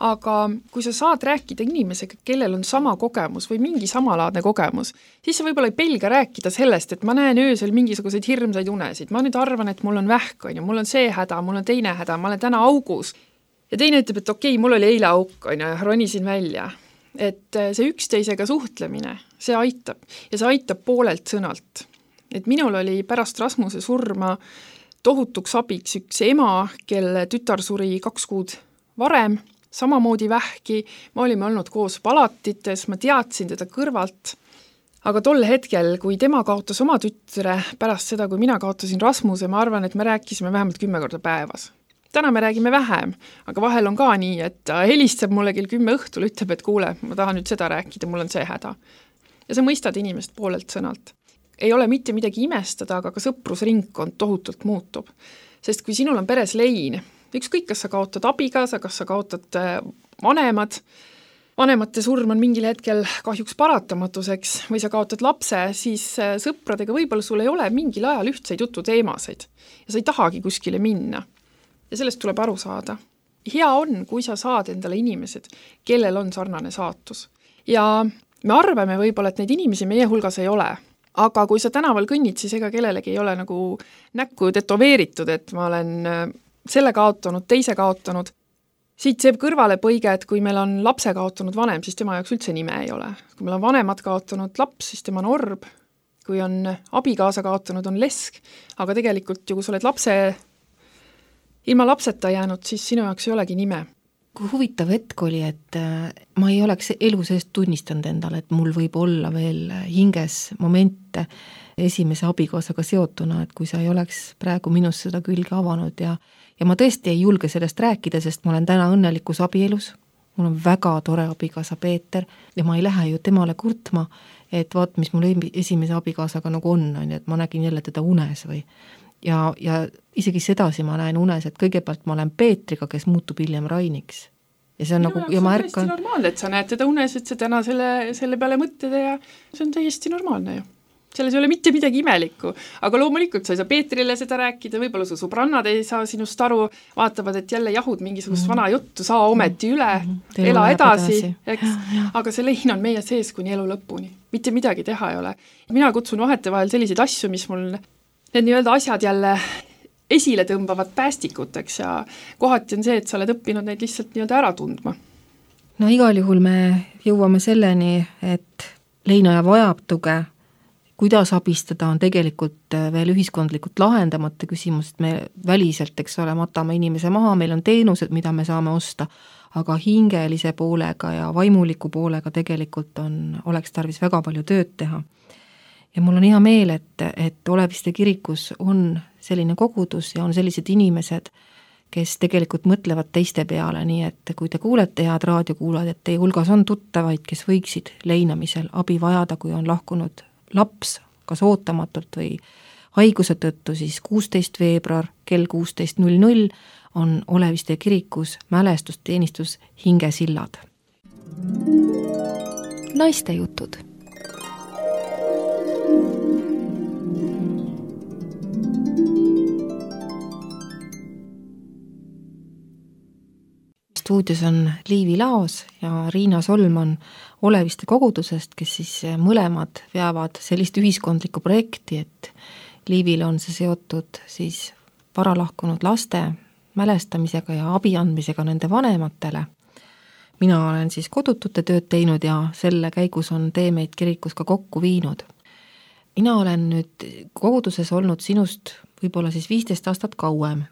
aga kui sa saad rääkida inimesega, kellel on sama kogemus või mingi samalaadne kogemus, siis sa võib-olla ei pelga rääkida sellest, et ma näen öösel mingisuguseid hirmsaid unesid, ma nüüd arvan, et mul on vähk, on ju, mul on see häda, mul on teine häda, ma olen täna augus. Ja teine ütleb, et okei, mul oli eile auk, on ju, ronisin välja. Et see üksteisega suhtlemine, see aitab ja see aitab poolelt sõnalt. Et minul oli pärast Rasmuse surma tohutuks abiks üks ema, kelle tütar suri 2 kuud varem, samamoodi vähki, me olime olnud koos palatites, ma teadsin teda kõrvalt, aga tol hetkel, kui tema kaotas oma tütre pärast seda, kui mina kaotasin Rasmuse, ma arvan, et me rääkisime vähemalt 10 korda päevas. Täna me räägime vähem, aga vahel on ka nii, et ta helistab mulle kell 10 õhtul, ütleb, et kuule, ma tahan nüüd seda rääkida, mul on see häda. Ja sa mõistad inimest poolelt sõnalt. Ei ole mitte midagi imestada, aga ka sõprusringkond tohutult muutub. Sest kui sinul on peres lein, ükskõik, kas sa kaotad abikaasa, kas sa kaotad vanemate surm on mingil hetkel kahjuks paratamatuseks või sa kaotad lapse, siis sõpradega võib-olla sul ei ole mingil ajal ühtseid jututeemasid ja sa ei tahagi kuskile minna. Ja sellest tuleb aru saada. Hea on, kui sa saad endale inimesed, kellel on sarnane saatus. Ja me arvame võib-olla, et neid inimesi meie hulgas ei ole. Aga kui sa tänaval kõnnid, siis ega kellelegi ei ole nagu näkku tetoveeritud, et ma olen selle kaotanud, teise kaotanud. Siit see kõrvale põige, et kui meil on lapse kaotanud vanem, siis tema jaoks üldse nime ei ole. Kui meil on vanemad kaotanud laps, siis tema on orb. Kui on abikaasa kaotanud, on lesk. Aga tegelikult ju, kui sa oled ilma lapseta jäänud, siis sinu jaoks ei olegi nime. Kui huvitav hetk oli, et ma ei oleks elu seest tunnistanud endale, et mul võib olla veel hinges momente esimese abikaasaga seotuna, et kui sa ei oleks praegu minust seda külge avanud ja ma tõesti ei julge sellest rääkida, sest ma olen täna õnnelikus abielus, mul on väga tore abikaasa Peeter ja ma ei lähe ju temale kurtma, et vaat, mis mul esimese abikaasaga nagu on, et ma nägin jälle teda unes või ja isegi sedasi ma näen unes, et kõigepealt ma olen Peetriga, kes muutub hiljem Rainiks. Ja see on minu nagu, ja ma ärkan... täiesti normaalne, et sa näed teda unes, et sa täna selle peale mõtted ja see on täiesti normaalne ju. Selles ei ole mitte midagi imelikku, aga loomulikult sa ei saa Peetrile seda rääkida, võib-olla su sõbrannad ei saa sinust aru, vaatavad, et jälle jahud mingisugust vana juttu, saa ometi üle, ela edasi, eks? Aga see lein on meie sees kuni elu lõpuni. Mitte midagi teha ei ole. Mina kutsun vahetevahel selliseid asju, mis mul need nii-öelda asjad jälle esile tõmbavad päästikuteks ja kohati on see, et sa oled õppinud neid lihtsalt nii-öelda ära tundma. No igal juhul me jõuame selleni, et leinaja vajab tuge, kuidas abistada on tegelikult veel ühiskondlikult lahendamata küsimus, et me väliselt, eks ole, matame inimese maha, meil on teenused, mida me saame osta, aga hingelise poolega ja vaimuliku poolega tegelikult oleks tarvis väga palju tööd teha. Ja mul on hea meel, et Oleviste kirikus on selline kogudus ja on sellised inimesed, kes tegelikult mõtlevad teiste peale, nii et kui te kuulete head raadiokuulajad, et teie hulgas on tuttavaid, kes võiksid leinamisel abi vajada, kui on lahkunud laps, kas ootamatult või haiguse tõttu, siis 16. veebruar kell 16.00 on Oleviste kirikus mälestusteenistus Hingesillad. Naiste jutud. Stuudios on Liivi Laos ja Riina Solman Oleviste kogudusest, kes siis mõlemad veavad sellist ühiskondlikku projekti, et Liivil on see seotud siis varalahkunud laste mälestamisega ja abi andmisega nende vanematele. Mina olen siis kodutute tööd teinud ja selle käigus on tee meid kirikus ka kokku viinud. Mina olen nüüd koguduses olnud sinust võib-olla siis 15 aastat kauem.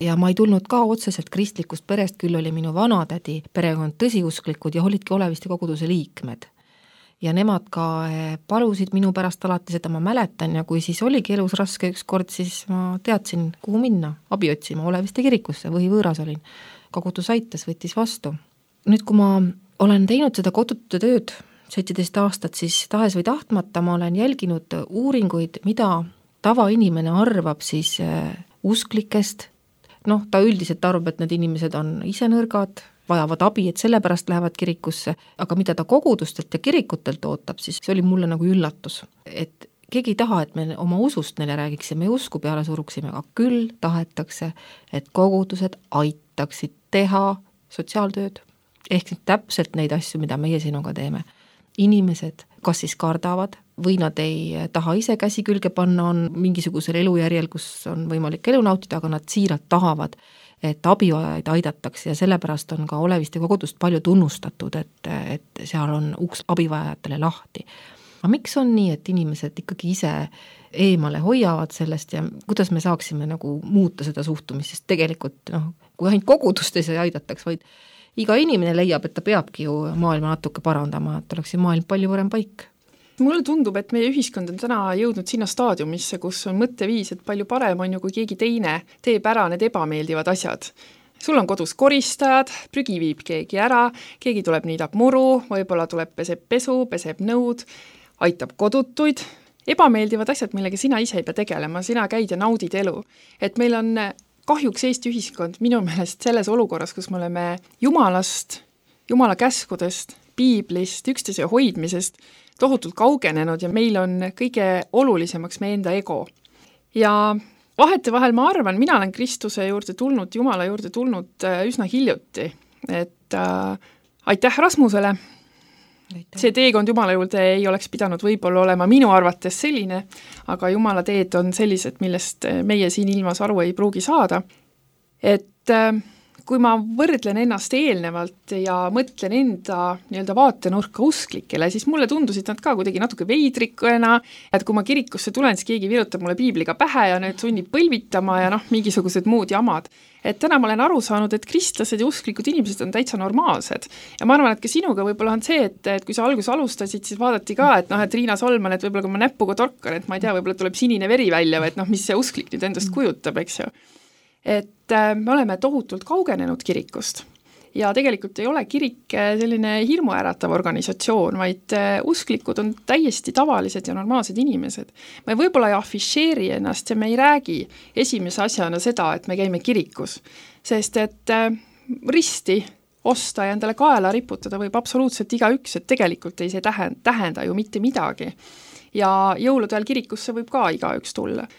Ja ma ei tulnud ka otseselt kristlikust perest, küll oli minu vanatädi perekond tõsiusklikud ja olidki Oleviste koguduse liikmed. Ja nemad ka palusid minu pärast alati seda, ma mäletan, ja kui siis oligi elus raske üks kord, siis ma teadsin, kuhu minna, abi otsima Oleviste kirikusse või võõras olin. Kogudus aitas, võttis vastu. Nüüd, kui ma olen teinud seda kodutute tööd 17 aastat, siis tahes või tahtmata ma olen jälginud uuringuid, mida tavainimene arvab siis usklikest. Ta üldiselt arvab, et need inimesed on ise nõrgad, vajavad abi, et sellepärast lähevad kirikusse, aga mida ta kogudustelt ja kirikutelt ootab, siis see oli mulle nagu üllatus. Et keegi ei taha, et me oma usust neile räägiksime ja usku peale suruksime, aga küll tahetakse, et kogudused aitaksid teha sotsiaaltööd, ehk täpselt neid asju, mida meie sinuga teeme. Inimesed kas siis kardavad või nad ei taha ise käsi külge panna, on mingisugusel elujärjel, kus on võimalik elu nautida, aga nad siiralt tahavad, et abivajajaid aidatakse ja sellepärast on ka Oleviste kogudust palju tunnustatud, et seal on uks abivajajatele lahti. Aga miks on nii, et inimesed ikkagi ise eemale hoiavad sellest ja kuidas me saaksime nagu muuta seda suhtumist, sest tegelikult kui ainult kogudust ei aidataks, vaid iga inimene leiab, et ta peabki ju maailma natuke parandama, et oleks ju maailm palju parem paik. Mulle tundub, et meie ühiskond on täna jõudnud sinna staadiumisse, kus on mõtteviis, et palju parem on ju, kui keegi teine teeb ära need ebameeldivad asjad. Sul on kodus koristajad, prügi viib keegi ära, keegi tuleb niidab muru, võib-olla tuleb peseb pesu, peseb nõud, aitab kodutuid. Ebameeldivad asjad, millega sina ise ei pea tegelema, sina käid ja naudid elu. Et meil on kahjuks Eesti ühiskond minu meelest selles olukorras, kus me oleme Jumalast, Jumala käskudest, piiblist, üksteise hoidmisest tohutult kaugenenud ja meil on kõige olulisemaks meie enda ego. Ja vahetevahel ma arvan, mina olen Kristuse juurde tulnud, Jumala juurde tulnud üsna hiljuti, et aitäh Rasmusele. See teekond Jumala juurde ei oleks pidanud võib-olla olema minu arvates selline, aga Jumala teed on sellised, millest meie siin ilmas aru ei pruugi saada. et kui ma võrdlen ennast eelnevalt ja mõtlen enda nii-öelda vaatenurka usklikele, siis mulle tundusid nad ka kuidagi natuke veidrikuna, et kui ma kirikusse tulen, siis keegi virutab mulle piibliga pähe ja nüüd sunnib põlvitama ja mingisugused muud jamad. Et täna ma olen aru saanud, et kristlased ja usklikud inimesed on täitsa normaalsed. Ja ma arvan, et ka sinuga võib-olla on see, et kui sa alguses alustasid, siis vaadati ka, et Riina Solman, et võib-olla kui ma näpuga torkan, et ma ei tea, võib-olla tuleb sinine veri välja või et mis see usklik nüüd endast kujutab, eks ju. Et me oleme tohutult kaugenenud kirikust ja tegelikult ei ole kirik selline hirmuäratav organisatsioon, vaid usklikud on täiesti tavalised ja normaalsed inimesed. Me võib-olla ei afišeeri ennast ja me ei räägi esimese asjana seda, et me käime kirikus, sest et risti osta ja endale kaela riputada võib absoluutselt igaüks, et tegelikult ei see tähenda ju mitte midagi. Ja jõulude ajal kirikusse võib ka igaüks tulla.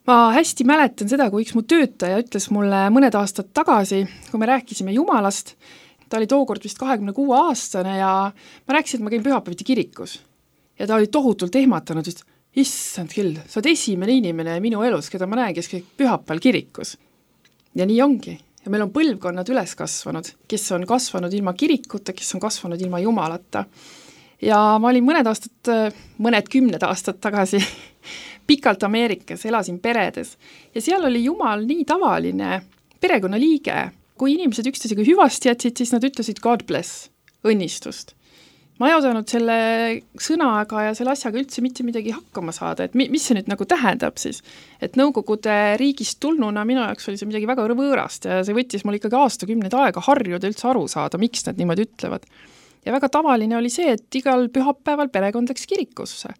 Ma hästi mäletan seda, kui üks mu töötaja ütles mulle mõned aastad tagasi, kui me rääkisime Jumalast, ta oli tookord vist 26-aastane ja ma rääkisin, et ma käin pühapäeviti kirikus. Ja ta oli tohutult ehmatanud, et issand küll, sa oled esimene inimene minu elus, keda ma näen, kes käib pühapäeval kirikus. Ja nii ongi. Ja meil on põlvkonnad üles kasvanud, kes on kasvanud ilma kirikuta, kes on kasvanud ilma Jumalata. Ja ma olin mõned 10 aastat tagasi pikalt Ameerikas, elasin peredes ja seal oli Jumal nii tavaline perekonnaliige. Kui inimesed üksteisega hüvasti jätsid, siis nad ütlesid God bless, õnnistust. Ma ei osanud selle sõnaga ja selle asjaga üldse mitte midagi hakkama saada, et mis see nüüd nagu tähendab siis. Et Nõukogude riigist tulnuna minu jaoks oli see midagi väga võõrast ja see võttis mul ikkagi aastakümneid aega harjuda üldse aru saada, miks nad niimoodi ütlevad. Ja väga tavaline oli see, et igal pühapäeval perekond läks kirikusse.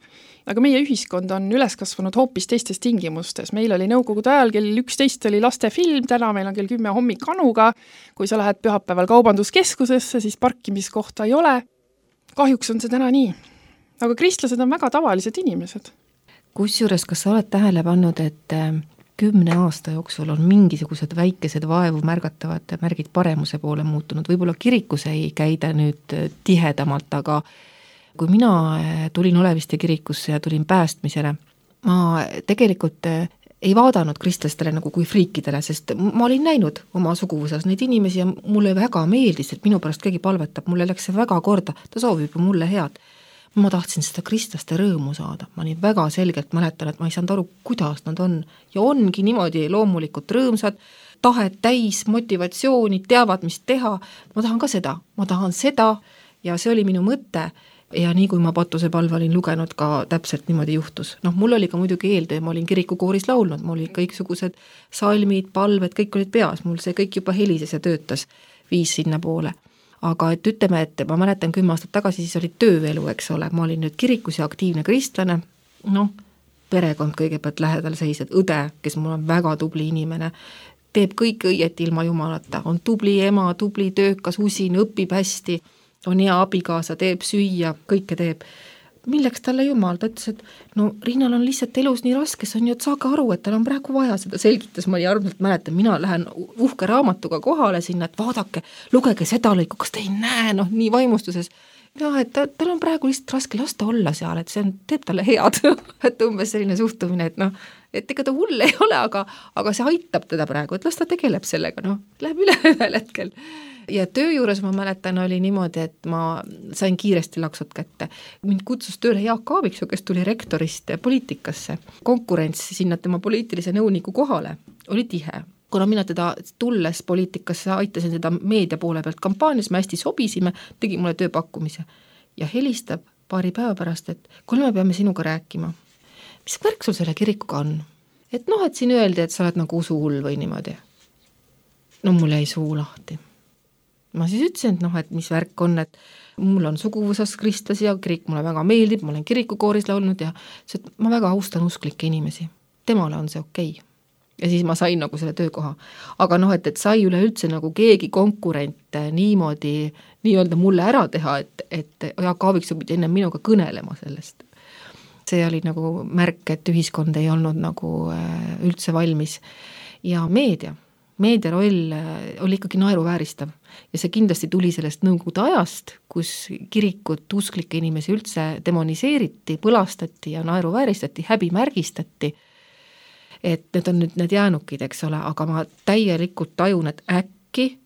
Aga meie ühiskond on üles kasvanud hoopis teistes tingimustes. Meil oli Nõukogude ajal kell 11 oli lastefilm, täna meil on kell 10 hommikanuga. Kui sa lähed pühapäeval kaubanduskeskusesse, siis parkimiskohta ei ole. Kahjuks on see täna nii. Aga kristlased on väga tavalised inimesed. Kusjuures, kas sa oled tähele pannud, et 10 aasta jooksul on mingisugused väikesed vaevu märgatavad märgid paremuse poole muutunud. Võib-olla kirikus ei käida nüüd tihedamalt, aga kui mina tulin Oleviste kirikusse ja tulin päästmisele, ma tegelikult ei vaadanud kristlastele nagu kui friikidele, sest ma olin näinud oma suguvusas neid inimesi ja mulle väga meeldis, et minu pärast keegi palvetab, mulle läks see väga korda, ta soovib mulle head. Ma tahtsin seda kristlaste rõõmu saada. Ma nii väga selgelt mäletan, et ma ei saanud aru, kuidas nad on. Ja ongi niimoodi loomulikult rõõmsad, tahet täis, motivatsiooni, teavad, mis teha. Ma tahan ka seda. Ma tahan seda ja see oli minu mõte. Ja nii kui ma Patuse palve olin lugenud, ka täpselt niimoodi juhtus. Mul oli ka muidugi eeltöö, ma olin kirikukooris laulnud, mul olid kõiksugused salmid, palved, kõik olid peas. Mul see kõik juba helises ja töötas, viis sinna poole. Aga et ütleme, et ma mäletan 10 aastat tagasi, siis oli tööelu, eks ole, ma olin nüüd kirikus ja aktiivne kristlane, perekond kõigepealt lähedal seised, õde, kes mul on väga tubli inimene, teeb kõik õieti ilma Jumalata, on tubli ema, tubli töökas, usin, õpib hästi, on hea abikaasa, teeb süüa, kõike teeb. Milleks talle Jumal? Ta ütles, et Riinal on lihtsalt elus nii raske, see on ju, et saage aru, et tal on praegu vaja seda selgitas, ma arvalt mäletan, mina lähen uhke raamatuga kohale sinna, et vaadake, lugege seda lõiku, kas te ei näe, nii vaimustuses. Ja, et tal on praegu lihtsalt raske lasta olla seal, et see teeb talle head, et umbes selline suhtumine, et ega ta hull ei ole, aga see aitab teda praegu, et las ta tegeleb sellega, läheb üle ühel hetkel. Ja töö juures ma mäletan oli niimoodi, et ma sain kiiresti laksot kätte. Mind kutsus tööle Jaak Aaviksoo, kes tuli rektorist poliitikasse. Konkurents sinna tema poliitilise nõuniku kohale oli tihe. Kuna mina teda tulles poliitikasse aitasin seda meedia poole pealt kampaanias, me hästi sobisime, tegi mulle tööpakkumise. Ja helistab paari päeva pärast, et kuule, me peame sinuga rääkima. Mis värk sul selle kirikuga on? Et et siin öeldi, et sa oled nagu usuhull või niimoodi. Mul jäi suu lahti. Ma siis ütlesin, et mis värk on, et mul on suguvusas kristlasi ja kirik mulle väga meeldib, ma olen kirikukooris laulnud ja ma väga austan usklikke inimesi. Temale on see okei. Ja siis ma sain nagu selle töökoha. Aga et sai üleüldse nagu keegi konkurent niimoodi nii-öelda mulle ära teha, et Jaak Aaviksoo pidi enne minuga kõnelema sellest. See oli nagu märk, et ühiskond ei olnud nagu üldse valmis. Ja meedia roll oli ikkagi naeruvääristav ja see kindlasti tuli sellest Nõukogude ajast, kus kirikut usklikke inimesi üldse demoniseeriti, põlastati ja naeruvääristati, häbimärgistati. et need on nüüd need jäänukid, eks ole, aga ma täielikult tajun, et äkki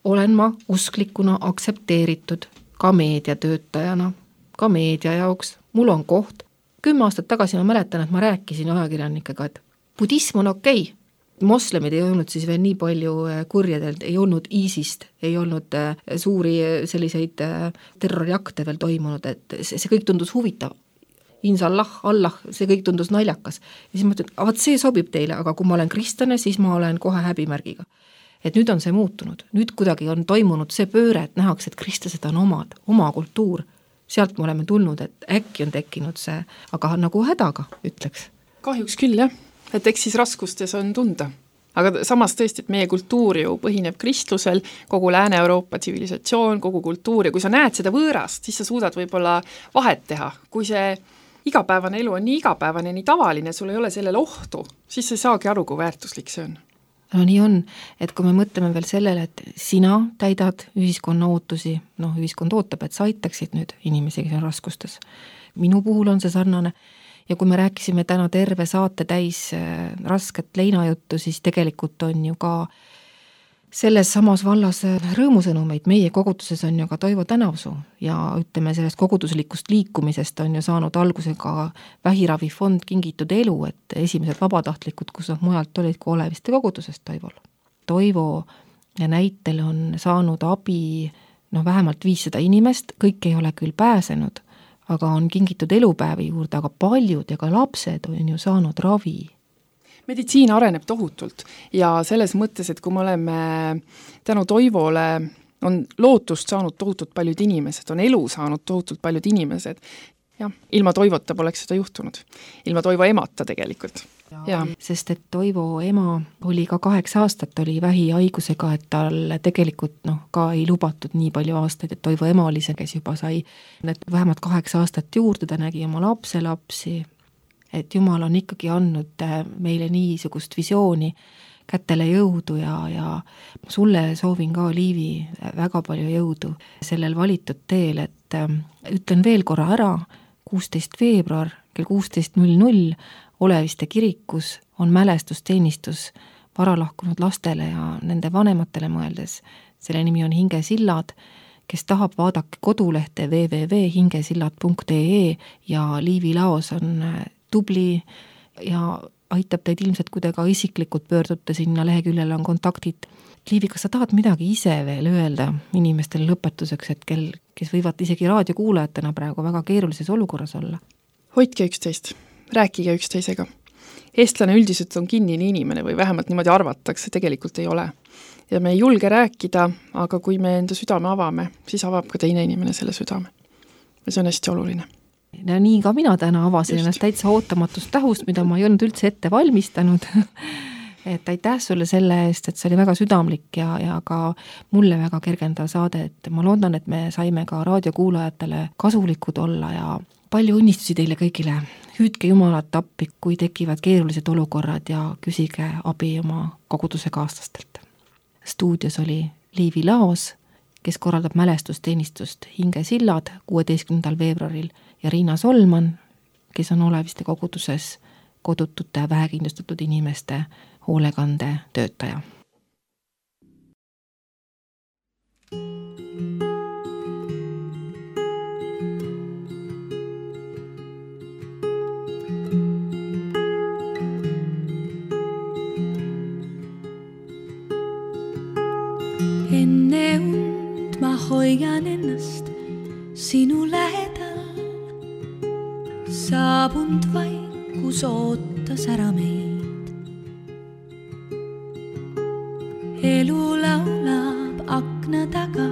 olen ma usklikuna aktsepteeritud ka meediatöötajana, ka meedia jaoks, mul on koht. 10 aastat tagasi ma mäletan, et ma rääkisin ajakirjanikega, et budism on okei. Moslemid ei olnud siis veel nii palju kurjedelt, ei olnud ISISt, ei olnud suuri selliseid terroriakte veel toimunud, et see kõik tundus huvitav. Insallah, Allah, see kõik tundus naljakas. Ja siis ma ütlen, et see sobib teile, aga kui ma olen kristlane, siis ma olen kohe häbimärgiga. Et nüüd on see muutunud, nüüd kuidagi on toimunud see pööre, et nähakse, et kristlased on oma kultuur. Sealt me oleme tulnud, et äkki on tekkinud see, aga nagu hädaga, ütleks. Kahjuks küll, jah. Et eks siis raskustes on tunda. Aga samas tõesti, et meie kultuur ju põhineb kristlusel, kogu Lääne-Euroopa tsivilisatsioon, kogu kultuur, ja kui sa näed seda võõrast, siis sa suudad võib-olla vahet teha. Kui see igapäevane elu on nii igapäevane, nii tavaline, sul ei ole sellel ohtu, siis sa ei saagi aru, kui väärtuslik see on. No nii on, et kui me mõtleme veel sellele, et sina täidad ühiskonna ootusi, ühiskond ootab, et sa aitaksid nüüd inimesi, kes on raskustes. Minu puhul on see sarnane. Ja kui me rääkisime täna terve saate täis rasket leinajuttu, siis tegelikult on ju ka selles samas vallas rõõmusõnumeid. Meie koguduses on ju ka Toivo Tänavsuu ja ütleme sellest koguduslikust liikumisest on ju saanud alguse ka vähiravifond Kingitud elu, et esimesed vabatahtlikud, kus nad mujalt olid kui Oleviste kogudusest Toivol. Toivo näitel on saanud abi vähemalt 500 inimest, kõik ei ole küll pääsenud, aga on Kingitud elupäevi juurde, aga paljud ja ka lapsed on ju saanud ravi. Meditsiin areneb tohutult ja selles mõttes, et kui me oleme tänu Toivole, on lootust saanud tohutult paljud inimesed, on elu saanud tohutult paljud inimesed. Jah, ilma Toivota poleks seda juhtunud. Ilma Toivo emata tegelikult. Ja. Sest et Toivo ema oli ka 8 aastat, oli vähihaigusega, et tal tegelikult ka ei lubatud nii palju aastaid, et Toivo ema oli see, kes juba sai need vähemalt 8 aastat juurde, ta nägi oma lapsi, et Jumal on ikkagi andnud meile niisugust visiooni, kätele jõudu ja sulle soovin ka, Liivi, väga palju jõudu sellel valitud teel, et ütlen veel korra ära, 16. veebruar kell 16.00 Oleviste kirikus on mälestusteenistus varalahkunud lastele ja nende vanematele mõeldes. Selle nimi on Hingesillad, kes tahab vaadake kodulehte www.hingesillad.ee ja Liivi Laos on tubli ja aitab teid ilmselt, kui te ka isiklikult pöördute sinna leheküljele on kontaktid. Liivi, kas sa tahad midagi ise veel öelda inimestele lõpetuseks, et kes võivad isegi raadiokuulajatena praegu väga keerulises olukorras olla? Hoidke üksteist, rääkige üksteisega. Eestlane üldiselt on kinnine inimene või vähemalt niimoodi arvatakse, tegelikult ei ole. Ja me ei julge rääkida, aga kui me enda südame avame, siis avab ka teine inimene selle südame. Ja see on hästi oluline. Ja nii ka mina täna avasin ennast täitsa ootamatust tähust, mida ma ei olnud üldse ette valmistanud. Et aitäh sulle selle eest, et see oli väga südamlik ja ka mulle väga kergendav saade, et ma loodan, et me saime ka raadiokuulajatele kasulikud olla ja palju õnnistusi teile kõigile. Hüüdke Jumalat appi, kui tekivad keerulised olukorrad ja küsige abi oma koguduse kaaslastelt. Stuudios oli Liivi Laos, kes korraldab mälestusteenistust Hingesillad 16. veebruaril ja Riina Solman, kes on Oleviste koguduses kodutute vähekindlustatud inimeste hoolekande töötaja. Enne und ma hoian ennast sinu lähedal, saabunud vaikus ootas ära meid. Elu laulab akna taga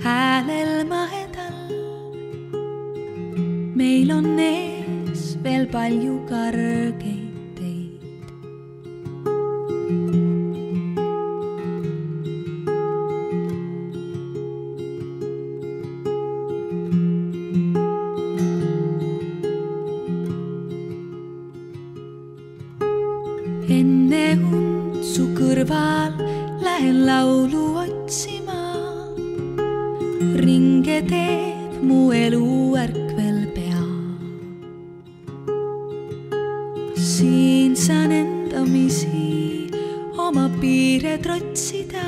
häälel mahedal. Meil on ees veel palju kargeid teid. Enne und su kõrval lähen laulu otsima. Ringe teeb mu elu ärkvel pea. siin saan endamisi oma piire trotsida,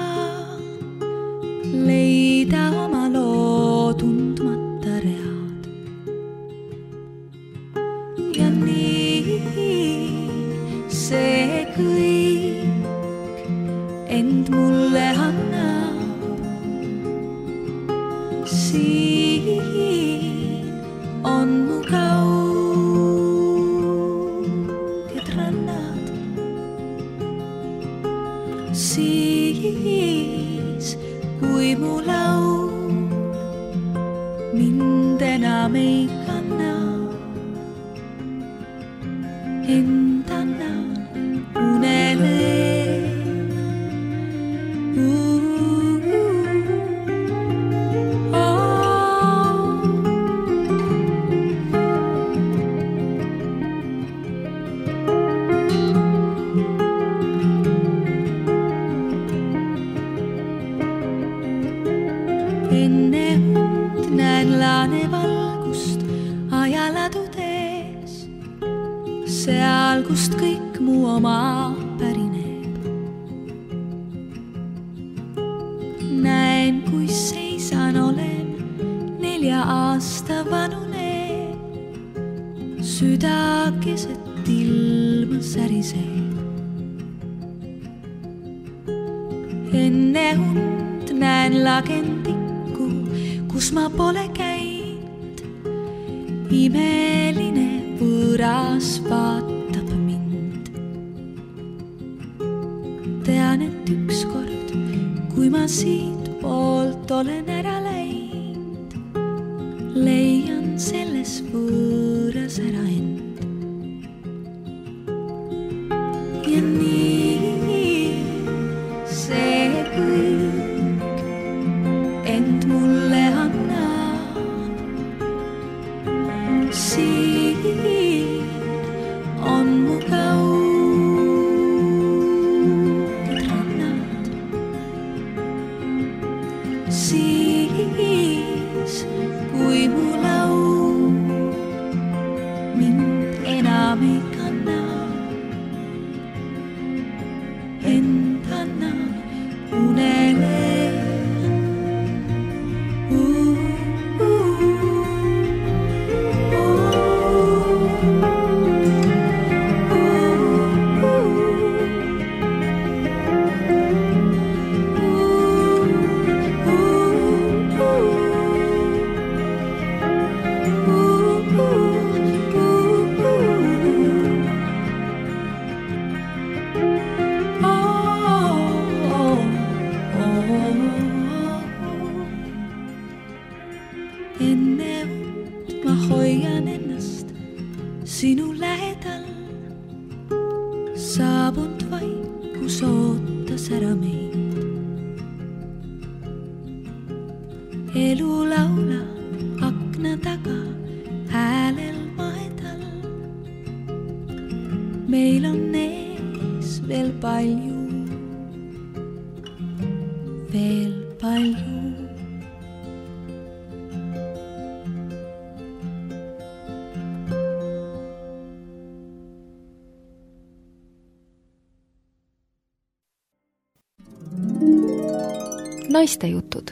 leida oma loo tundmata read. Ja nii see kõik end mulle annab. Siin on mu kauged rannad. Siis, kui mu laul mind enam ei kanna, end annan unele. Enne und näen laanevalgust ajaladudes, seal, kust kõik mu oma pärineb. Näen, kui seisan olen 4 aasta vanune, süda keset ilma säriseb. Enne und näen lagendikku, kus ma pole käinud. Imeline võõras vaatab mind. Tean, et ükskord, kui ma siit poolt olen ära läinud, leian selles võõras ära end. Ja nii see kõik end mulle annab. Siin on mu kauged rannad. Siis, kui mu laul mind enam ei kanna, end annan unele. Enne und ma hoian ennast sinu lähedal, saabunud vaikus ootas ära meid. Elu laulab akna taga häälel maedal. Meil on ees veel palju, veel palju. Naistejutud.